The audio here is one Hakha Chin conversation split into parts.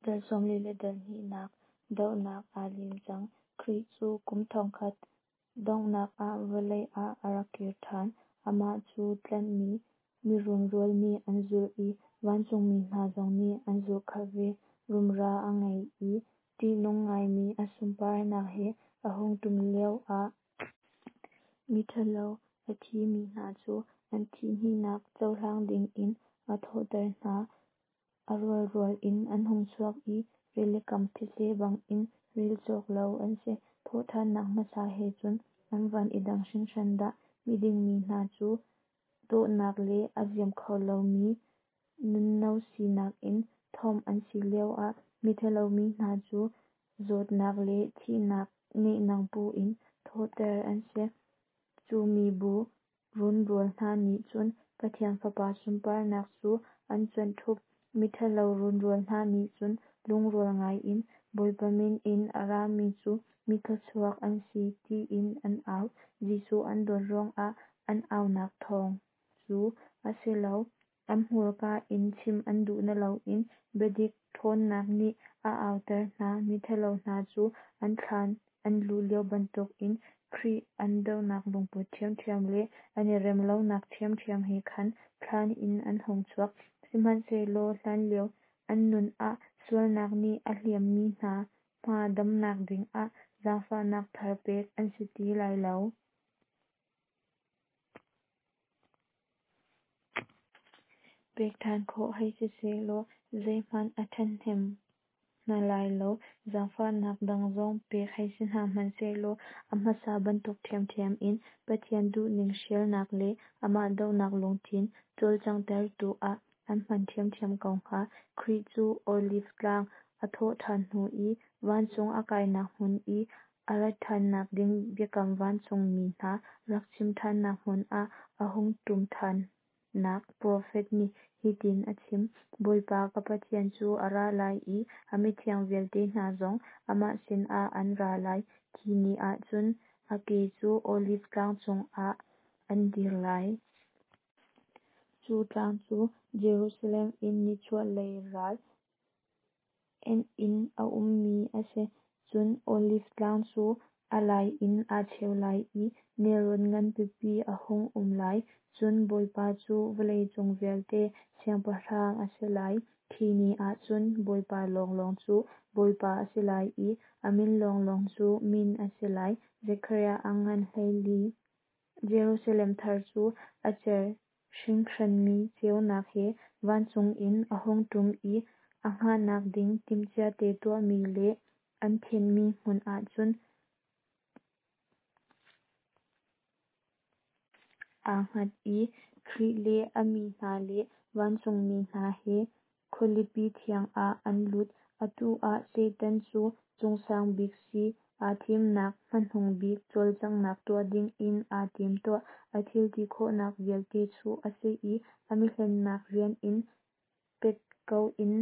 Dal 40 le dal hnihnak dohnak aa lim cang. Khrih cu kum 1000 donghnak ah vawlei ah a rak kir ṭhan. Amah cu tlanhmi mi runrual nih an zulh i vancungmi hna zong nih an zulhkhalh ve. Rumra a ngei i ṭihnung ngaimi a sunparnak he a hung ṭum lioah, miṭhalo a thimi hna cu an thih hnihnak cohlang dingin a thawhter hna, a rualrual in an hung chuak i rilikam thetse bangin rel cawk lo an si. Thawhṭhannak hmasa he cun an van i dang hringhran dah! Miding mi hna cu dawhnak le a ziam kho lomi nunno sinak in thuamh an si lioah miṭhalo mi hna cu zawtnak le thihnak nehnang pu in thawhter an si. Cu mibu runrual hna nih cun Pathian Fapa sunparnak cu an cuanh ṭhup. Miṭhalo runrual hna nih cun lungrual ngaiin, Bawipa min in a rami cu mithluachuak an si, tiin an au. Jesuh an dawt ruangah an aunak thawng cu a si lo, an hmurka in chim an duh naloin biadik ṭhawnnak nih a auter hna. Miṭhalo hna cu an thlan an luh lio bantukin Khrih an dohnak lungput ṭhiamṭhiam le an i rem lonak ṭhiamṭhiam he khan thlan in an hung chuak. Sihmanhsehlaw hlanlio an nun ah sualnak nih a hliammi hna hma damnak dingah zaangfahnak thar pek an si ti lai lo. Pek ṭhan khawh hei si sehlaw zeihmanh a ṭhahnem hna lai lo. Zaangfahnak dang zong pek hei si hna hmanh sehlaw a hmasa bantuk ṭhiamṭhiam in Pathian duhning hrialnak le amah dohnak lungthin cawlcanghtertu ah an hman ṭhiamṭhiam ko hnga. Khrih cu Oliv Tlang a thawhṭhan hnu i vancung a kainak hmun i a rat ṭhannak ding biakam vancungmi hna rak chim ṭhannak hmun ah a hung ṭum ṭhannak profet nih hitin a chim: Bawipa ka Pathian cu a ra lai i a mithiang vialte hna zong amah sinah an ra lai. Khi ni ah cun a ke cu Oliv Tlang cungah an dir lai. Cu tlang cu Jerusalem in nichuahlei ral enh in a ummi a si. Cun Oliv Tlang cu a lai in aa cheu lai i nelrawn ngan pipi a hung um lai. Cun Bawipa cu vawleicung vialte Siangpahrang a si lai. Khi ni ah cun Bawipa lawnglawng cu Bawipa a si lai i a min lawnglawng cu min a si lai. Zekhariah a ngan 14. Jerusalem thar cu a cer hringhranmi ceunak he vancung in a hung ṭum i a hngahnak ding timhciate tuahmi le an thenhmi hmun ah cun aa hngat i Khrih le a mi hna le vancungmi hna he khualipi thiang ah an lut. Atu ah Satan cu cungsang bik si aa thimnak hmanung bik cawlcanghnak tuah dingin aa timtuah. A thil ti khawhnak vialte chuh a si i a mihlennak rian in pet ko in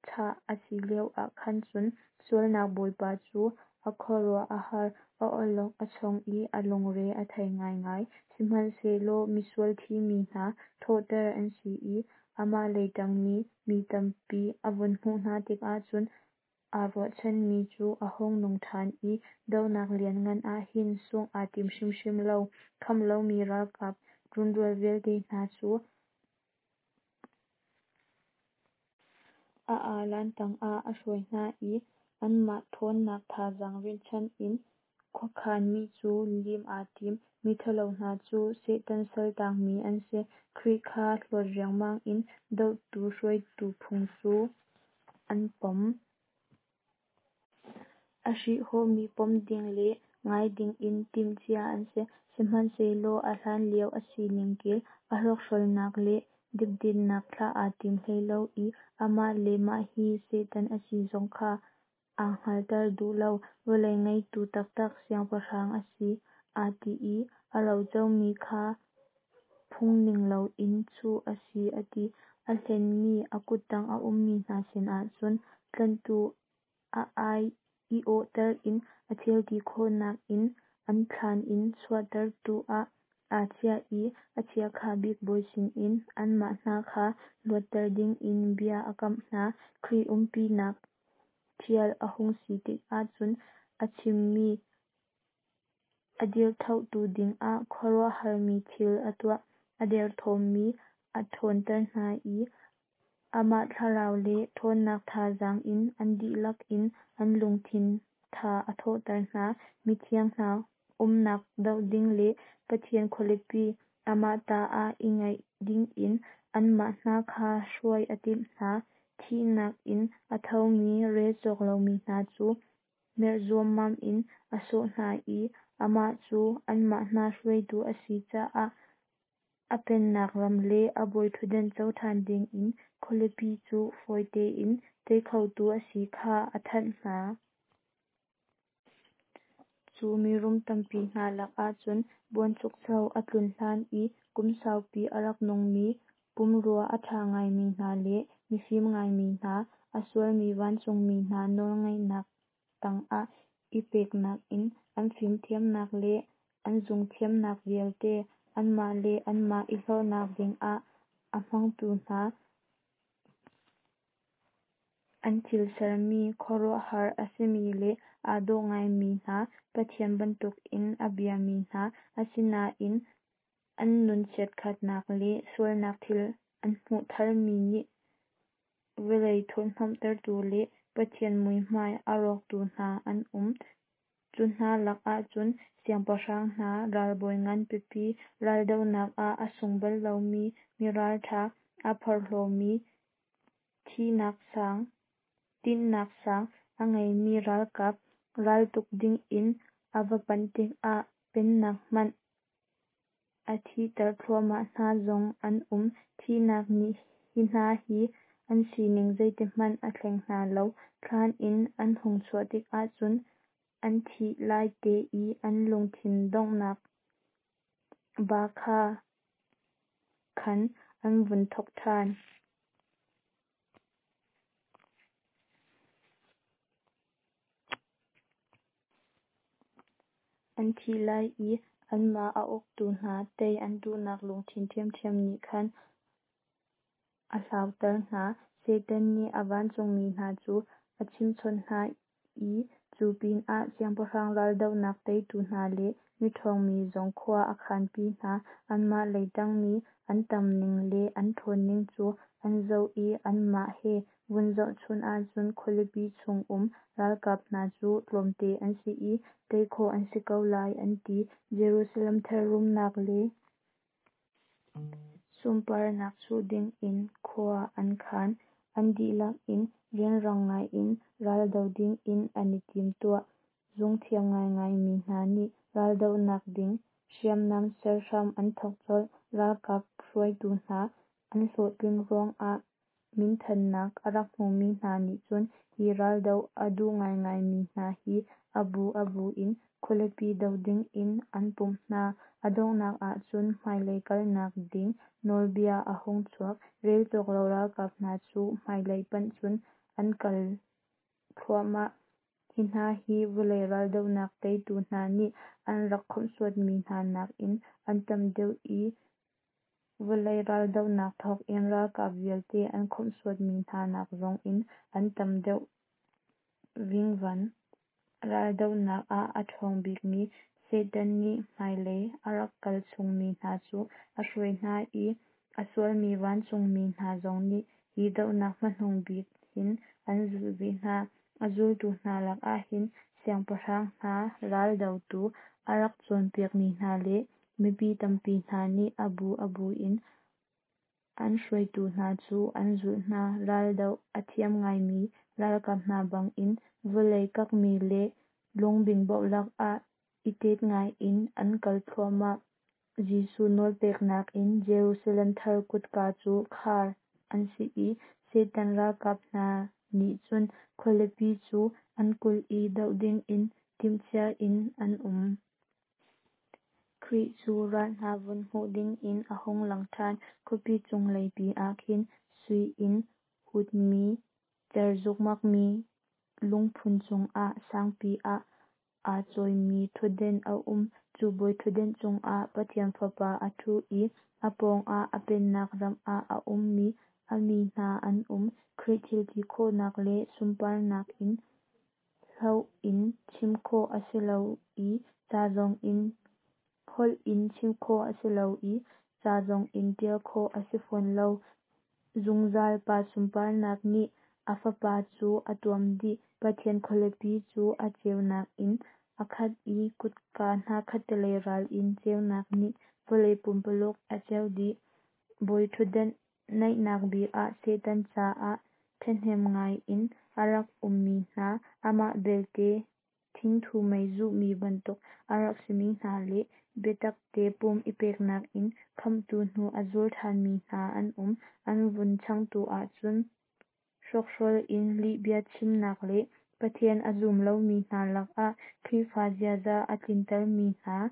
thah a si lioah khan cun sualnak bawipa cu a khuaruah a har, a awlok a chong i a lungre a thei ngaingai. Sihmanhsehlaw misual thimi hna thawhter an si i amah lei ṭangmi mi tampi a vun hmuh hna tikah cun aa ruahchanmi cu a hung nung ṭhan i dohnak lianngan ah hin sungh aa tim hrimhrim lo. Khamh lomi ralkap runrual vialte hna cu a alan tangah a hruai hna i anmah ṭhawnnak thazaang rinhchan in khuakhanmi cu lim aa tim. Miṭhalo hna cu Satan saltangmi an si. Khrih kha hlawt riangmang in dohtu hruaitu phung cu an pom. A hrihhawhmi pom ding le ngai dingin timhcia an si. Sihmanhsehlaw a hlanlio a sining kel a hrawkhralnak le depdetnak thlah aa tim hlei lo i amah le mah hi Satan a si zong kha aa hngalhter duh lo. Vawlei ngeitu taktak siangpahrang a si aa ti i a rocomi kha phungning loin chuh a si a ti. A hlenmi a kuttang a ummi hna sinah cun tlanhtu a ai i awhter in a thilti khawhnak in an thlan in chuahtertu ah aa chiah i a chiakha bik bawi sinin anmah hna kha luatter dingin bia a kamh hna. Khrih umpinak. ṭhial a hung si tikah cun a chimmi a dirthohtu dingah khuaruahharmi thil a tuah. A derthawmmi a ṭhawnter hna i amah thlarau le ṭhawnnak thazaang in an dihlak in an lungthin tha a thawhter hna. Mithiang hna umnak doh ding le Pathian khualipi amah ta ah i ngeih dingin anmah hna kha hruai a timh hna. Thihnak in a thomi rel cawk lomi hna cu merh zuammam in a sawh hna i amah cu anmah hna hruaitu a si caah a pennak ram le a bawiṭhutdan co ṭhan dingin khualipi cu fawi tein tei khotu a si kha a thanh hna. Cu mirum tampi hna lakah cun buanchukcho a tlun hlan i kum saupi a rak nungmi, pumrua a ṭha ngaimi hna le mifim ngaimi hna, a sualmi vancungmi hna nawlngeihnak tangah i peknak in an fimthiamnak le an zungthiamnak vialte anmah le anmah i hlorhnak dingah a hmangtu hna, an thil sermi khuaruahhar a simi le aa dawh ngaimi hna, Pathian bantukin a biami hna, asinain an nun chiatkhatnak le sualnak thil an hmuh tharmi nih vawlei thurhhnawmhtertu le Pathian muihmai a rawktu hna an um. Cu hna lakah cun siangpahrang hna, ralbawi ngan pipi, raldohnak ah a sung bal lomi, miralṭha, aa porhlawmi, tinhnak sang a ngeimi ralkap, raltuk dingin a va panh tikah pennak hmanh a thihter thluahmah hna zong an um. Thihnak nih hi hna hi an sining zeitikhmanh a thleng hna lo. Thlan in an hung chuah tikah cun an thih laite i an lungthin donghnak ba khan an vun thawk ṭhan. An thih lai i anmah a uktu hna tei an duhnak lungthin ṭhiamṭhiam nih khan a hlauter hna. Satan nih a vancungmi hna cu a chimhchawnh hna i cu pinah siangpahrang raldohnak teitu hna le miṭhawngmi zong khua a khanpi hna. Anmah lei ṭangmi an tamning le an ṭhawnning cu an zoh i anmah he vun zohchunh ahcun khualipi chung um ralkap hna cu tlawmte an si i tei khawh an si ko lai, an ti. Jerusalem thar rumnak le sunparnak chuh dingin khua an khan. An dihlak in rianrang ngaiin raldo dingin an i timtuah. Zungthiam ngaingaimi hna nih raldohnak ding hriamnam ser hram an thawk colh. Ralkap hruaitu hna, an hlawhtlin ruangah minthannak a rak hmumi hna nih cun hi raldoh a duh ngaingaimi hna hi a bu a bu in khualipi doh dingin an pumh hna. A donghnak ah cun hmailei kalnak ding nawlbia a hung chuak. Rel cawk lo ralkap hna cu hmailei panh cun an kal thluahmah. Hi hna hi vawlei raldohnak teitu hna nih an rak khawmhsuatmi hna nakin an tam deuh i vawlei raldohnak thawkin ralkap vialte an khawmhsuatmi hna nak zongin an tam deuh vingvan. Raldohnak ah a ṭhawng bikmi Satan nih hmailei a rak kal chungmi hna cu a hruai hna i a sualmi vancungmi hna zong nih hi dohnak hmanung bik hin an zulh ve hna. A zultu hna lakah hin siangpahrang hna raldotu a rak cawnpiakmi hna le mipi tampi hna nih a bu a bu in an hruaitu hna cu an zulh hna. Raldoh a thiam ngaimi ralkap hna bangin vawlei kakmi le lungbingbo lakah i tet ngaiin an kal thluahmah. Jesuh nawlpeknak in Jerusalem thar kutka cu khar an si i Satan ralkap hna nih cun khualipi cu an kulh i doh dingin timhcia in an um. Khrih cu ral hna vun hmuh dingin a hung lang ṭhan. Khuapi cunglei pi ah khin sui in hutmi cer zukmakmi lungphun cungah sangpi ah aa chawimi ṭhutden a um. Cu bawiṭhutden cungah Pathian Fapa a ṭhu i a pawngah a pennak ram ah a ummi a mi hna an um. Khrih thilti khawhnak le sunparnak in. Holh in chim khawh a si lo i ca zong in holh in chim khawh a si lo i ca zong in ṭial khawh a si fawn lo. Zungzal Pa sunparnak nih a Fapa cu a tuam dih. Pathian khualipi cu a ceunak in a khat i kutka hna khattelei ral in ceunak nih vawlei pumpululuk a ceuh dih. Bawiṭhutdan naihnak bik ah Satan caah ṭhahnem ngai in a rak ummi hna, amah belte thingthu mei zuhmi bantuk a rak simi hna le biatakte pum i peknak in Khamhtu hnu a zul ṭhanmi hna an um. An vun changtu ah cun hrawkhrol in lihbia chimnak le Pathian a zum lomi hna lakah Khrihfa ziaza a tlintermi hna,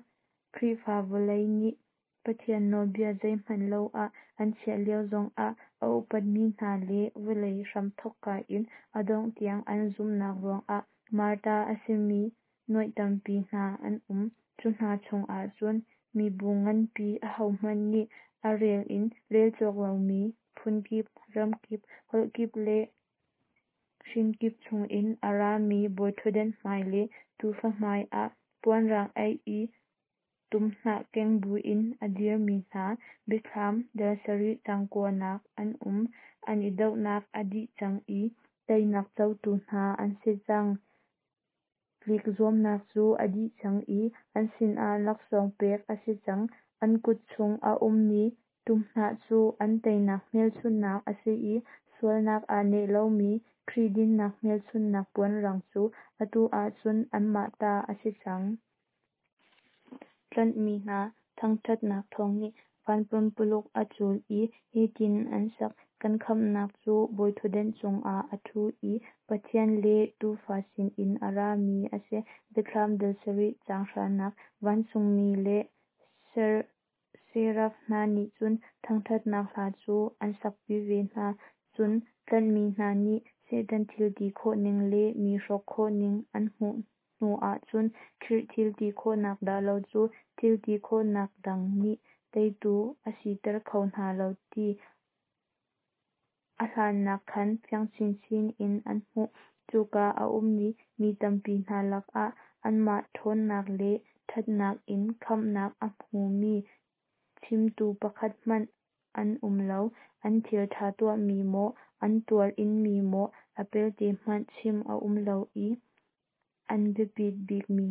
Khrihfa vawlei nih Pathian nawlbia zeihmanh lo ah an chiah lio zongah a upatmi hna le vawlei hramthawkka in a dongh tiang an zumhnak ruangah martar a simi nuaih tampi hna an um. Cu hna chungah cun mibu nganpi, ahohmanh nih a rel in rel cawk lomi, phunkip, ramkip, holhkip le hrinkip chungin a rami bawiṭhutdan hmai le Tuufa hmaiah puan rang aih i tumhnah keng buin a dirmi hna, Biathlam dal sarih caang kuanak an um. An i dohnak a dih cang i teinak cotu hna an si cang. Tlik zuamnak cu a dih cang i an sinah laksawng pek a si cang. An kut chung a ummi tumhnah cu an teinak hmelchunhnak a si i sualnak aa neh lomi Khrih dinnak hmelchunhnak puanrang cu atu ahcun anmah ta a si cang. Tlanhmi hna thangṭhatnak thawng nih van pumpululuk a cul i hitin an sak: Kan khamhnak cu bawiṭhutdan cungah a ṭhu i Pathian le Tuufa sinin a rami a si. Biathlam dal sarih caang hranak Vancungmi le seraf hna nih cun thangṭhatnak hla cu an sakpi ve hna. Cun tlanhmi hna nih Satan thil ti khawhning le mi hrawk khawhning an hmuh hnu ahcun Khrih thil ti khawhnak dah lo cu thil ti khawhnak dang nih teitu a siter kho hna lo ti a hlannak khan fiang chinchin in an hmuh. Cuka a ummi mi tampi hna lakah anmah ṭhawnnak le ṭhatnak in khamhnak a hmumi chimtu pakhat hmanh an um lo. An thil ṭha tuahmi maw, an tuar inmi maw a pelte hmanh chim a um lo i an biapit bikmi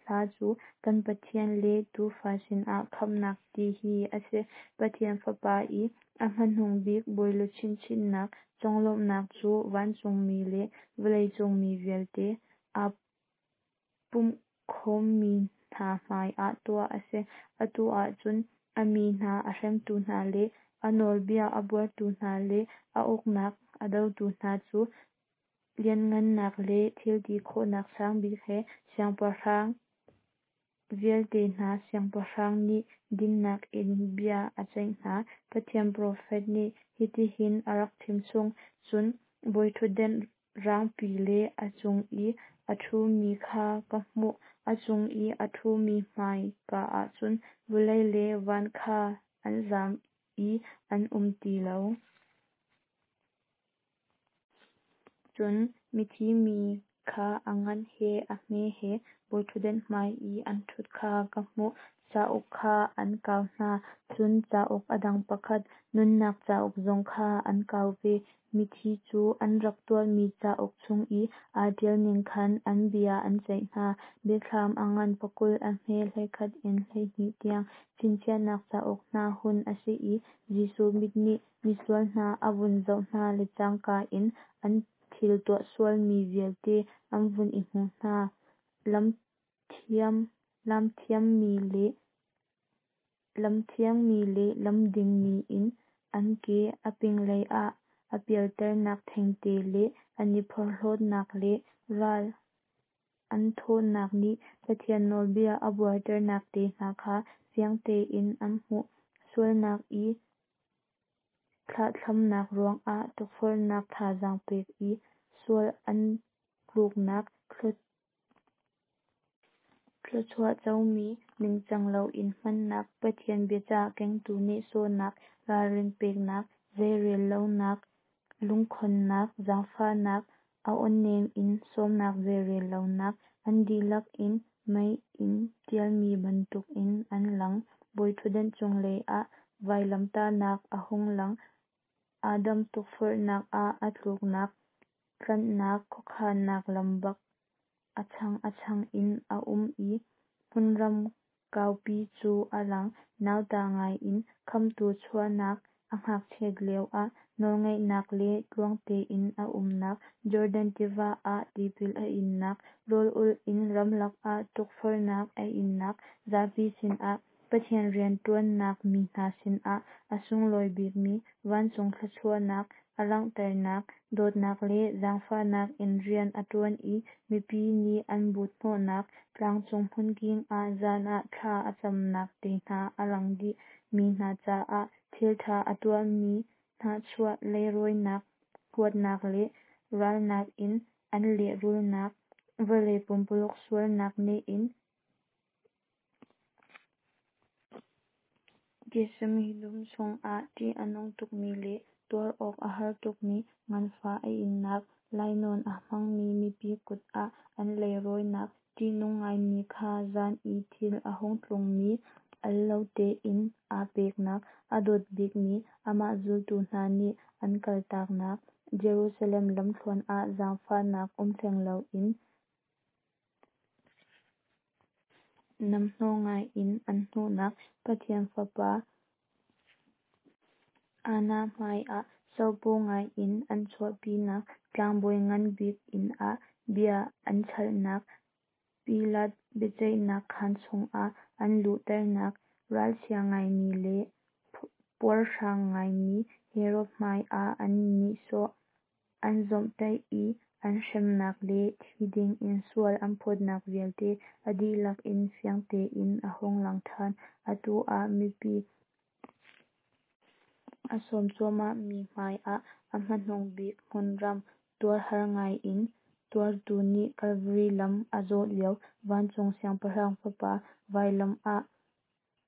hla cu Kan Pathian le Tuufa sinah khamhnak ti hi a si. Pathian Fapa i a hmanung bik bawiluchin chinhnak conglawmhnak cu vancungmi le vawleicung mi vialte aa pumhkhawmmi hna hmai ah tuah a si. Atu ahcun a mi hna a hremtu hna le a nawlbia a buartu hna le a uknak a dotu hna cu lianhngannak le thilti khawhnak sang bik he siangpahrang vialte hna Siangpahrang nih dinnak in bia a ceih hna. Pathian profet nih hitihin a rak chimchung: Cun bawiṭhutdan raangpi le a cung i a ṭhumi kha ka hmuh. A cung i a ṭhumi hmaika ah cun vawlei le van kha an zam i an um ti lo. Cun mithi mi kha a ngan he a hme he bawiṭhutdan hmai i an ṭhut kha ka hmuh. Cauk kha an kau hna, cun cauk a dang pakhat, nunnak cauk zong kha an kau ve. Mithi cu an rak tuahmi cauk chung i aa ṭialning khan an bia an ceih hna. Biathlam a ngan pakul a hme 11 in 12 tiang Chinchiahnak cauk hna hun a si i Jesuh mit nih misual hna a vun zoh hna le cangka in an thil tuah sualmi vialte an vun i hmuh hna. Lamthiangmi le lamdingmi in an ke a pinglei ah a pialternak thengte le an i porhlawtnak le ral an thawhnak nih Pathian nawlbia a buarternak te hna kha fiang tein an hmuh. Sualnak i thlahthlamnak ruangah tukforhnak thazaang pek i sual an tluknak, thluachuah comi ningcang loin hmannak, Pathian biacah kengtu nehsawhnak, ralrin peknak, zeirel lonak, lungkhonnak, zaangfahnak A awnem in sawmnak zeirel lonak, An dihlak in mei in tialmi bantukin an lang. Bawiṭhutdan cunglei ah vailamtahnak a hung lang, Adam tukforhnak ah a tluknak, Tlanhnak khuakhannak lam bak a chang a chang in a um i hmunram kaupi cu a lang. Nauta ngai in Khamhtu chuahnak, A ngakchiat lioah nawlngeihnak le tluang tein a umnak, Jordan tiva ah tipil a innak, Rawl ulh in ramlak ah tukforhnak a innak, Zapi sinah Pathian riantuannak mi hna sinah a sunglawi bikmi vancung thluachuahnak a langhternak, Dawtnak le zaangfahnak in rian a tuan i mipi nih an but hnawhnak, Tlangcung hmunking ah zan ah thla a camnak te hna a lang dih. Mi hna caah thiltha a tuahmi, hnahchuah leirawinak, huatnak le ralnak in an lehrulhnak, Vawlei pumpululk sualnak neh in Gethsemane dum chungah ṭih a nung tukmi le tuar awk a har tukmi nganfah a innak, Lainawn a hmangmi mipi kut ah an leirawinak, Ṭihnung ngaimi kha zan i thil a hung tlungmi al lo tein aa peknak, A dawt bikmi amah zultu hna nih an kaltaknak, Jerusalem lamthluan ah zaangfahnak um hleng loin namhnawh ngai in an hnuhnak, Pathian Fapa Anna hmai ah sopaw ngai in an chuahpinak, Tlangbawi ngan bik inn ah bia an chalhnak, Pilat biaceihnak khaan chungah an luhternak, Ralchia ngaimi le puarhrang ngaimi Herod hmai ah an nihsawh, an zawmhtaih i an hremnak le thi dingin sual an phawtnak vialte a dihlak in fiang tein a hung lang ṭhan. Atu ah mipi a sawm cuahmah mi hmai ah a hmanung bik hmunram, tuarhar ngai in tuartu nih Kalvari lam a zawh lio, Vancung Siangpahrang Fapa vailam ah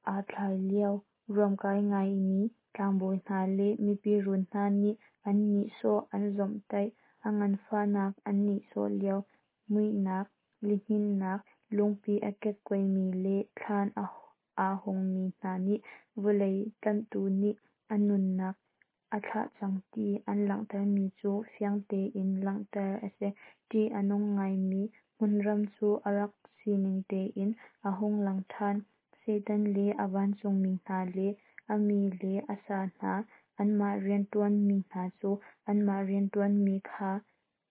aa thlai lio, Ruamkai ngaimi tlangbawi hna le mipi run hna nih an nihsawh an zawmhtaih, a nganfahnak an nihsawh lio, Muihnak, lihninnak, lungpi a kekkuaimi le thlan aa hungmi hna nih vawlei Tlanhtu nih a nunnak a thlah cang ti an langhtermi cu fiang tein langhter a si. Ṭih a nung ngaimi hmunram cu a rak sining tein a hung lang ṭhan. Satan le a vancungmi hna le a mi le a sa hna, anmah rianṭuanmi hna cu anmah rianṭuanmi kha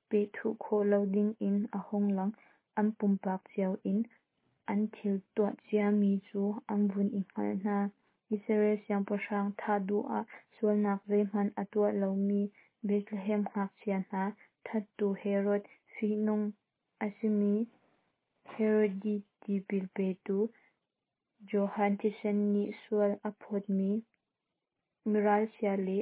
pehthuh khawh lo dingin a hung lang, an pumpak cio in an thil tuah ciami cu an vun i hngalh hna. Israel siangpahrang thah duh ah sualnak zeihmanh a tuah lomi Bethlehem ngakchia hna thattu Herod, fihnung a simi Herod tipil petu Johan thisen nih sual a phawtmi miralchia le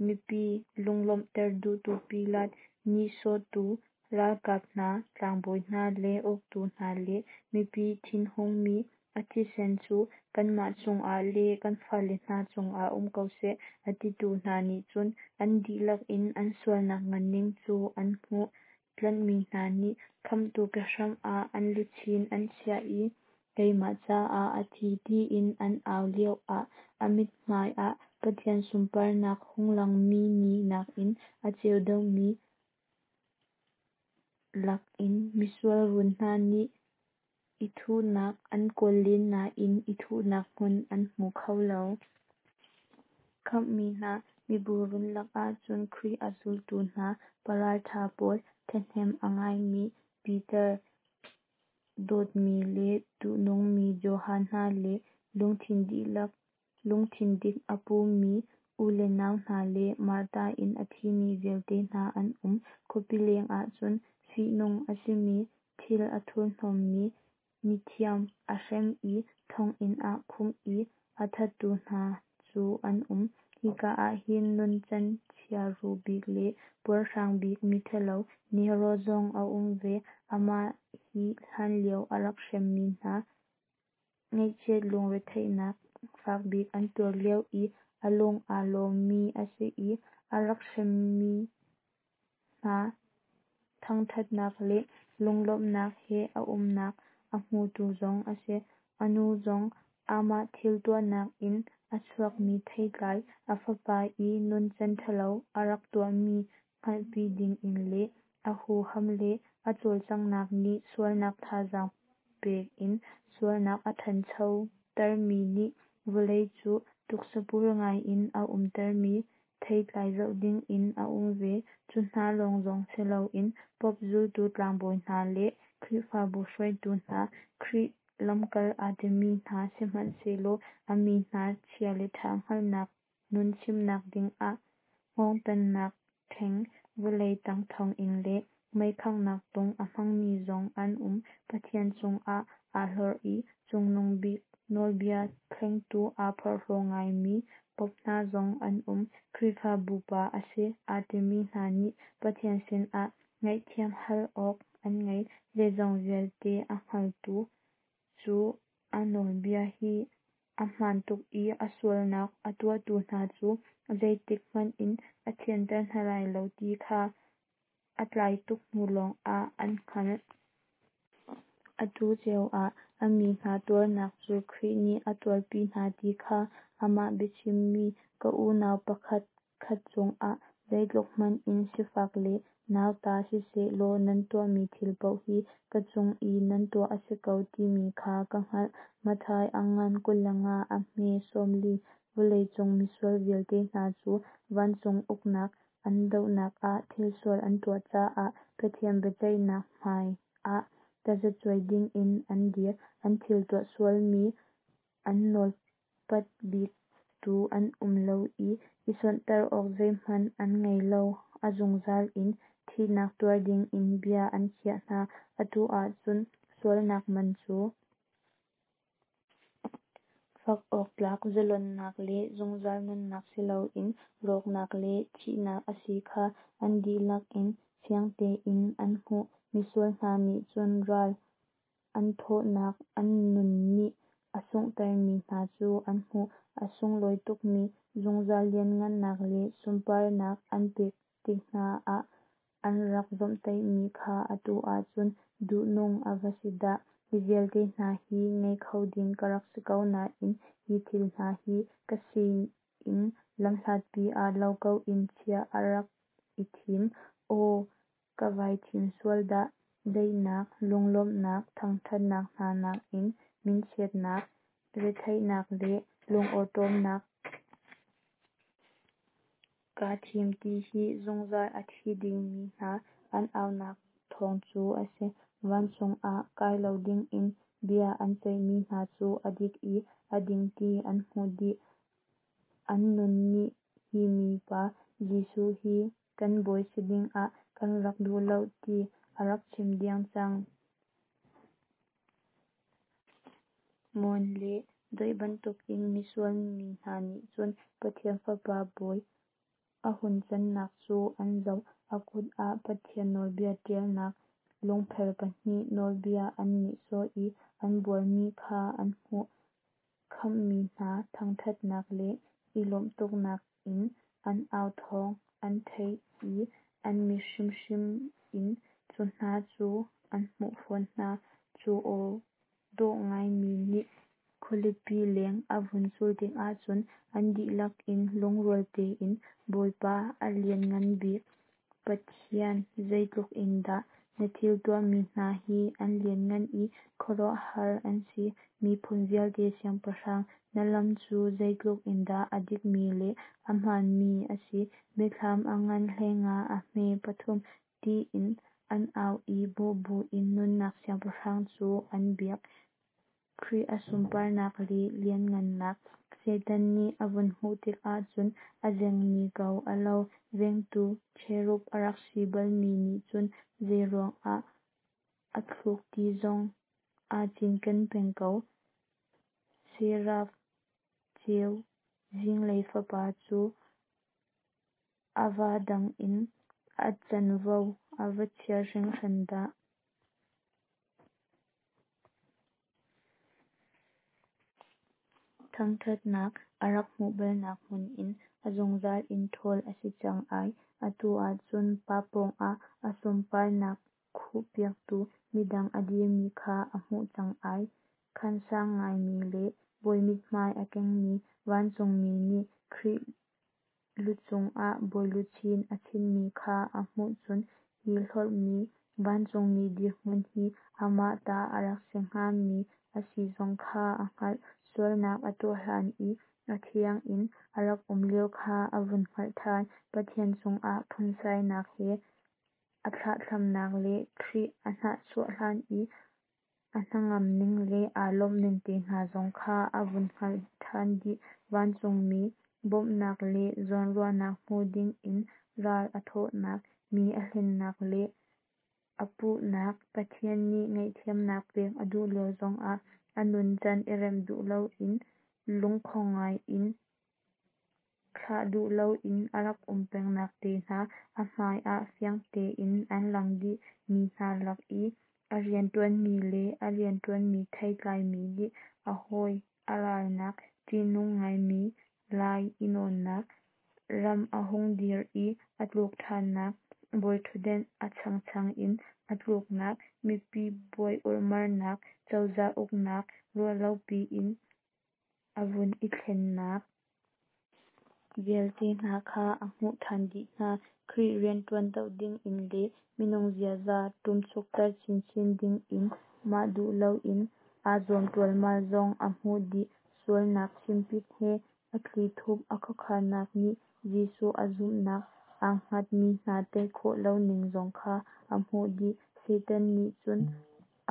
mipi lunglawmhter duhtu Pilat, nihsawhtu ralkap hna, tlangbawi hna le uktu hna le mipi thinhungmi, a thisen cu kanmah cungah le kan fale hna cungah um ko seh, a titu hna nih cun an dihlak in an sualnak nganning cu an hmuh. Tlanhmi hna nih Khamhtu kehram ah an luchin an chiah i keimah caah a thi tiin an au lioah a mithmai ah Pathian sunparnak hung langmi ni nakin a ceu deuhmi lakin misual run hna nih i thuhnak an kawl len nain i thuhnak hmun an hmu kho lo. Khamhmi hna mibu run lakah cun Khrih a zultu hna paraltha pawl, thahnem a ngaimi Piter, dawtmi le duhnungmi Johan hna le lungthin dik a pumi u le nau hna le Martar in a thimi vialte hna an um. Khuapi lengah cun fihnung a simi thil a thurhnawmmi mithiam a hrem i thonginn ah khumh i a thattu hna cu an um. Hika ah hin nuncan chiahru bik le puarhrang bik miṭhalo Nero zong a um ve. Amah hi hlanlio a rak hremmi hna ngaihchiat lungretheihnak fak bik an tuar lio i a lung aa lawmmi a si i a rak hremmi hna. thangṭhatnak le lunglawmhnak he a umnak a hmutu zong a si. A nu zong amah thil tuahnak in a chuakmi theitlai, a fapa i nuncan ṭhalo a rak tuahmi hngalhpi dingin le a huham le a cawlcanghnak nih sualnak thazaang pek in sualnak a ṭhancho termi nih vawlei cu tuksapur ngaiin a umtermi theitlai zoh dingin a um ve. Cu hna lawng zong si loin Pope zultu tlangbawi hna le Khrihfabu hruaitu hna, Khrih lamkal aa timi hna sihmanhsehlaw a mi hna chia le ṭha hngalhnak nun chimnak dingah hngawngtannak ṭheng, vawlei tang thonginn le meikhanghnak tung a hmangmi zong an um. Pathian cungah aa hlorh i Cungnung Bik nawlbia thlengtu aa phorhlaw ngaimi Pope hna zong an um. Khrihfabu pa a si aa timi hna nih Pathian sinah ngaihthiam hal awk an ngei. Zeizong vialte a hngaltu cu a nawlbia hi a hmaan tuk i a sualnak a tuahtu hna cu zeitik hmanh in a thianter hna lai lo ti kha a tlai tuk hnu lawngah an hngalh. Atu cio ah a mi hna tuarnak cu Khrih nih a tuarpi hna ti kha amah biachimmi, Ka unau pakhat khat cungah zeitluk hmanh in sifak le nauta sisehlaw nan tuahmi thil paoh hi ka cung i nan tuah a si ko, timi kha ka hngalh. Matthai a ngan 25 a hme 40. Vawlei cung misual vialte hna cu vancung uknak an dohnak ah thilsual an tuah caah Pathian biaceihnak hmai ah tazacuai dingin an dir. An thil tuah sualmi an nawlpat biktu an um lo i, i sonhtarh awk zeihmanh an ngei lo. A zungzal in thihnak tuar dingin bia an khiah hna. Atu ahcun sualnak man cu fak awk tlak zalonnak le zungzal nunnak si loin rawknak le thihnak a si kha an dihlak in fiang tein an hmuh. Misual hna nih cun ral an thawhnak an nun nih a sunghtermi hna cu an hmuh. A sunglawi tukmi zungzal lianhngannak le sunparnak an pek tik hna ah an rak zawmhtaihmi kha atu ahcun duhnung a va si dah! Hi vialte hna hi ngei kho ding ka rak si ko nain hi thil hna hi ka sinin lamhlatpi ah lo ko in chiah ka rak i thim. Aw, ka vai thim sual dah! Daihnak, lunglawmhnak, thangṭhatnak hna nakin minchiatnak, retheihnak le lungawṭawmnak kaa thim ti hi zungzal a thi dingmi hna an aunak thawng cu a si. Vancung ah kai lo dingin bia an ceihmi hna cu a dik i a ding ti an hmuh dih. An nun nih hi mipa Jesuh hi kan Bawi si dingah kan rak duh lo ti a rak chim deng cang. Mawn le doih bantukin misual mi hna nih cun Pathian Fapa Bawi a hun cannak cu an zoh. A kut ah Pathian nawlbia ṭialnak lungphel pahnih, nawlbia an nihsawh i an buarmi kha an hmuh. Khamhmi hna thangṭhatnak le i lawmh tuknak in an au thawng an theih i an mit hrimhrim in cu hna cu an hmuh fawn hna. Cu aw dawh ngaimi nih khualipi leng a vun cul tikah cun an dihlak in lungrual tein, Bawipa a lianngan bik Pathian, zeitluk in dah na thil tuahmi hna hi an lianhngan i khuaruahhar an si! Miphun vialte Siangpahrang, na lam cu zeitluk in dah a dikmi le ahmaanmi a si. Biathlam a ngan 15 a hme pathum, tiin an au i bawh buin nunnak Siangpahrang cu an biak. Khrih a sunparnak le lianhngannak Satan nih a vun hmuh tikah cun a zengmi ko a lo. Vengtu cherub a rak si balmi nih cun zeiruangah a thluk ti zong aa cinken peng ko. Seraf ceu zinglei fapa cu a va dang in a canvo a va chia hringhran dah! Thangṭhatnak a rak hmuh balnak hmun in a zungzal in ṭhawl a si cang ai. Atu ahcun Pa pawngah a sunparnak khuhpiaktu midang a dirmi kha a hmuh cang ai. Khan sang ngaimi le bawi mithmai a kengmi vancungmi nih Khrih lucung ah bawiluchin a chinhmi kha a hmuh cun hi hlorhmi vancungmi dirhmun hi amah ta a rak si hngami a si zong kha a hngalh. Sualnak a tuah hlan i a thiang in a rak um lio kha a vun hngalh than. Pathian cungah phunsainak he a thlahthlamnak le Khrih a hnahchuah hlan i a hnangam ning le aa lawmhning te hna zong kha a vun hngalh than dih. Vancungmi bawmhnak le zawnruahnak hmu dingin ral a thawhnak, mi a hlennak le a puhnak, Pathian nih ngaihthiamnak pek a duh lio zongah a nuncan i remh duh loin lungkhong ngai in thlah duh loin a rak um pengnak te hna a hmai ah fiang tein an lang dih. Mi hna lak i a rianṭuanmi le a rianṭuanmi theitlaimi nih a hawi a ralnak, ṭihnung ngaimi lai i nawnnak, ram a hung dir i a tluk ṭhannak, bawiṭhutdenh a changchang in a tluknak, mipi buai urhmarnak, cozah uknak ruahlopi in a vun i thlennak vialte hna kha a hmuh ṭhan dih hna. Khrih rianṭuan doh dingin le minung ziaza ṭumchukter chinchin dingin mah duh loin aa zuam ṭualmal zong a hmuh dih. Sualnak chimpit he a thlithup a khuakhannak nih Jesuh a zumhnak aa hngatmi hna tei khawh lo ning zong kha a hmuh dih. Satan nih cun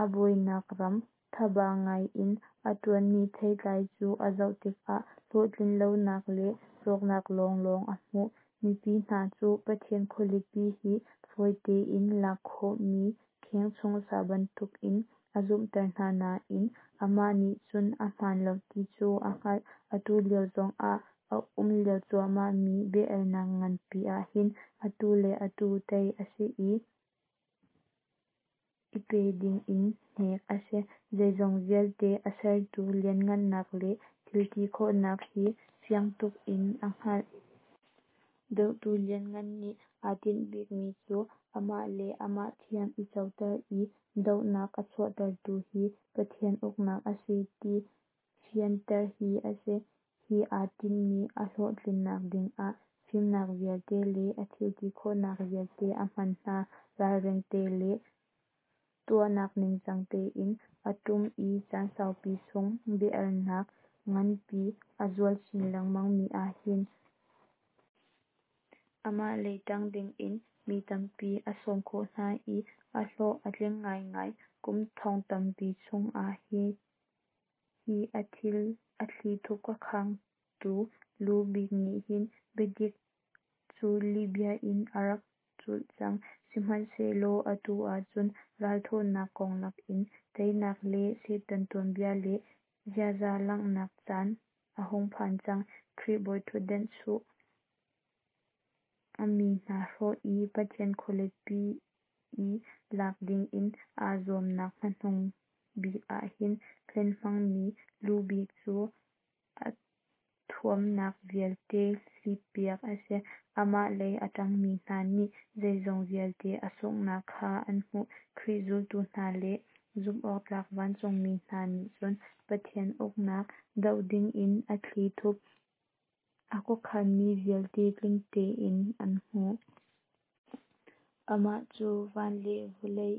a bawinak ram, thaba ngai in a ṭuanmi theitlai cu a zoh tikah hlawhtlin lonak le rawknak lawnglawng a hmuh. Mipi hna cu Pathian khualipi hi fawi tein lak khawhmi kheng chung sa bantukin a zumhter hna nain amah nih cun a hmaan lo ti cu a hngalh. Atu lio zongah a um lio cuahmahmi bia-alnak nganpi ahhin atu le atu tei a si i, i pe dingin hnek a si. Zeizong vialte a sertu lianhngannak le thilti khawhnak hi fiang tuk in a hngalh. Dohtu lianngan nih aa tinh bikmi cu amah le amah thiam i coter i dohnak a chuahtertu hi Pathian uknak a si ti fianter hi a si. Hi aa tinhmi a hlawhtlinnak dingah fimnak vialte le a thilti khawhnak vialte a hman hna. Ralring te le tuahnak ningcang tein a tum i caan saupi chung bia-alnak nganpi a zual chin lengmangmi ahhin amah lei ṭang dingin mi tampi a sawm khawh hna i a hlawh a tling ngaingai. Kum thong tampi chungah hi a thlithup khuakhangtu lu bik nih hin biadik cu lihbia in a rak culh cang. Sihmanhsehlaw atu ahcun ralthawhnak konglak in teinak le Satan tuanbia le ziaza langhnak caan a hung phan cang. Khrih bawiṭhutdenh chuh, a mi hna hrawh i Pathian khualipi i lak dingin aa zuamnak hmanung bik ahhin hlen hmangmi lu bik cu a thuamnak vialte hlippiak a si. Amah lei a ṭangmi hna nih zeizong vialte a sunghnak kha an hmuh. Khrih zultu hna le zumhawktlak vancungmi hna nih cun Pathian uknak doh dingin a thlithup a khuakhanmi vialte tling tein an hmuh. Amah cu van le vawlei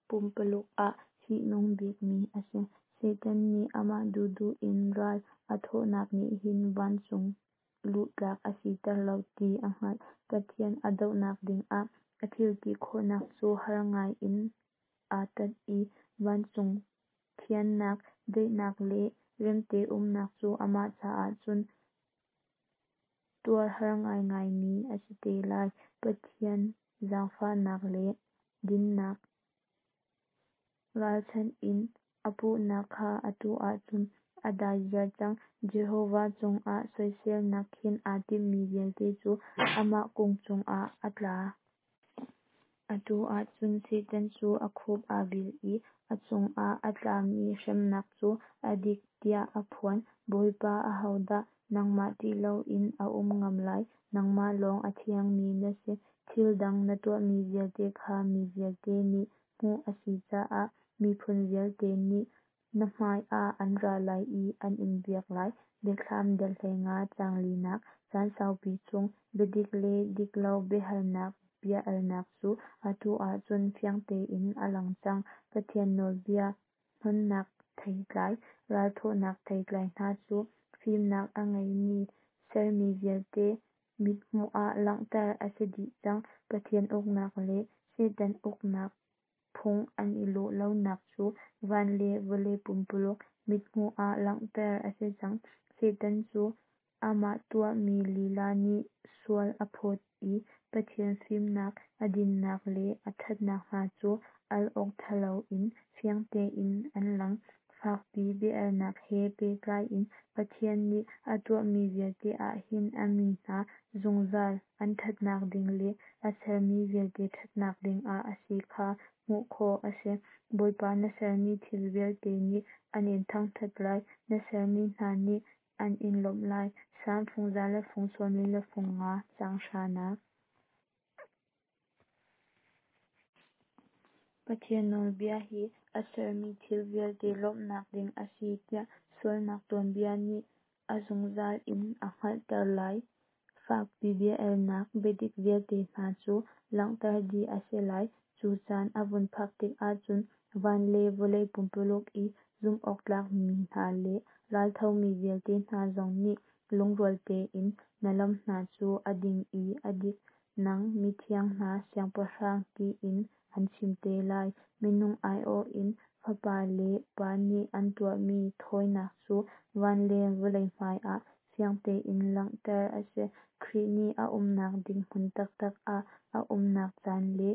pumpaluk ah fihnung bikmi a si. Satan nih amah duhduh in ral a thawhnak nih hin vancung luh tlak a siter lo ti a hngalh. Pathian a dohnak dingah a thilti khawhnak cu har ngai in aa tat i vancung thiannak, daihnak le remte umnak cu amah caah cun tuar har ngaingaimi a si te lai. Pathian zaangfahnak le dinnak ralchanh in a puhnak kha atu ahcun a dai ziar cang. Jehovah cungah soiselnak khin aa timmi vialte cu amah kung cungah a tla. Atu ahcun Satan cu a khup aa bil i a cungah a tlami hremnak cu a dik tiah aa phuan. Bawipa, ahodah nangmah ṭih loin a um ngam lai? Nangmah lawng a thiangmi na si. Thil dang na tuahmi vialte kha mi vialte nih hmuh a si caah miphun vialte nih na hmaiah an ra lai i an in biak lai. Biathlam dal 15 caang linak. Caan saupi chung biadik le diklo biahalnak bia-alnak cu atu ahcun fiang tein a lang cang. Pathian nawlbia hnonnak theitlai, ralthawhnak theitlai hna cu fimnak a ngeimi sermi vialte mithmuh ah langhter a si dih cang. Pathian uknak le Satan uknak phung an i lawh lonak cu van le vawlei pumpululk mithmuh ah langhter a si cang. Satan cu amah tuahmi lila nih sual a phawt i Pathian fimnak, a dinnak le a ṭhatnak hna cu al awk ṭha loin fiang tein an lang. Fakpi bia-alnak he pehtlai in Pathian nih a tuahmi vialte ahhin a mi hna zungzal an ṭhatnak ding le a sermi vialte ṭhatnak dingah a si kha hmuh khawh a si. Bawipa na sermi thil vialte nih an in thangṭhat lai, na sermi hna nih an in lawmh lai. Salm fung za le fung sawmli le fung nga, caang hranak. Pathian nawlbia hi a sermi thil vialte lawmhnak ding a si tiah sualnak tuanbia nih a zungzal in a hngalhter lai. Fakpi bia-alnak biadik vialte hna cu langhter dih a si lai. Cu caan a vun phak tik ahcun van le vawlei pumpululk i zumhawktlak mi hna le ralthomi vialte hna zong nih lungrual tein na lam hna cu a ding i a dik, nang mithiang hna Siangpahrang tiin an chim te lai. Minung aiawh in Fapa le Pa nih an tuahmi thawinak cu van le vawlei hmai ah fiang tein langhter a si. Khrih nih a umnak ding hmun taktak ah a umnak caan le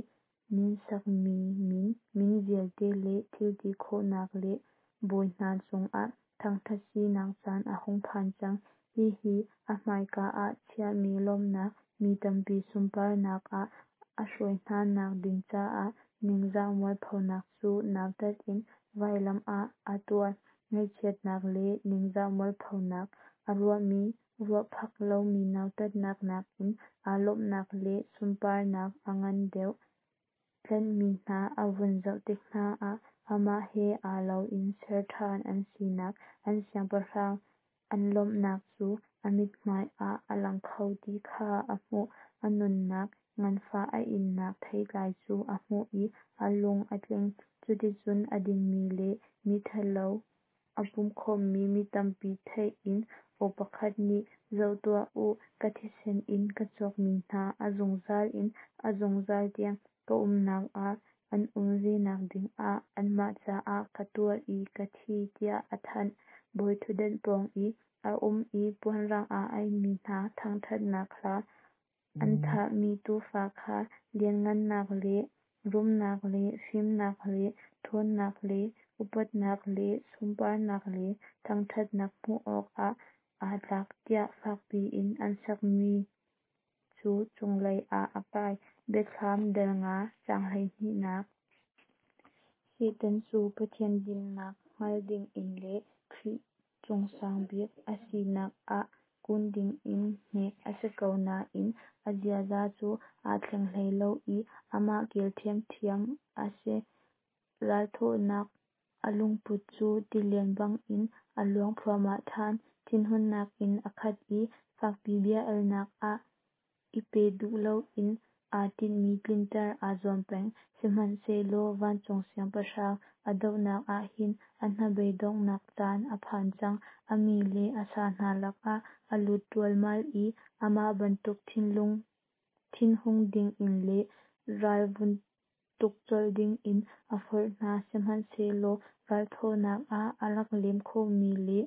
min sakmi min, min vialte le thilti khawhnak le bawi hna cungah thangṭhat sinak caan a hung phan cang. Hihi a hmaika ah chiahmi lawmhnak, mi tampi sunparnak ah a hruai hna nak ding caah ningzah mualphonak cu nautat in vailam ah a tuar. Ngaihchiatnak le ningzah mualphonak a ruahmi ruahphak lomi nautatnak nakin aa lawmhnak le sunparnak a ngan deuh. Tlanhmi hna a vun zoh tik hna ah amah he aa lo in ser ṭhan an sinak, an Siangpahrang an lawmhnak cu a mithmai ah a lang kho ti kha a hmuh. A nunnak nganfah a innak theitlai cu a hmuh i a lung a tling. Cuticun a dingmi le miṭhalo a pumkhawmmi mi tampi theih in aw pakhat nih, Zoh tuah u, ka thisen in ka cawkmi hna, a zungzal in a zungzal tiang ka umnak ah an um ve nakding ah anmah caah ka tuar i ka thi, tiah a thanh. Bawiṭhutdan pawng i a um i puanrang aa aihmi hna thangṭhatnak hla, an thahmi Tuufa kha lianhngannak le rumnak le fimnak le ṭhawnnak le upatnak le sunparnak le thangṭhatnak hmuh awkah aa tlak, tiah fakpi in an sakmi cu cunglei ah a kai. Biathlam dal nga, caang hleihnihnak. Satan cu Pathian dinnak hngal dingin le Khrih cungsang bik a sinak ah kun dingin hnek a si ko nain a ziaza cu aa thleng hlei lo i amah kel ṭhiamṭhiam a si. Ralthawhnak a lungput cu tilian bangin a luang thluahmah ṭhan. Thinhunnak in a khat i fakpi bia-alnak ah i pe duh loin aa tinhmi tlinter aa zuam peng. Sihmanhsehlaw vancung Siangpahrang a dohnak ahhin a hnabei donghnak caan a phan cang. A mi le a sa hna lakah a lut ṭualmal i amah bantuk thinlung thinhung dingin le ral vun tuk colh dingin a forh hna. Sihmanhsehlaw ralthawhnak ah a rak lem khawhmi le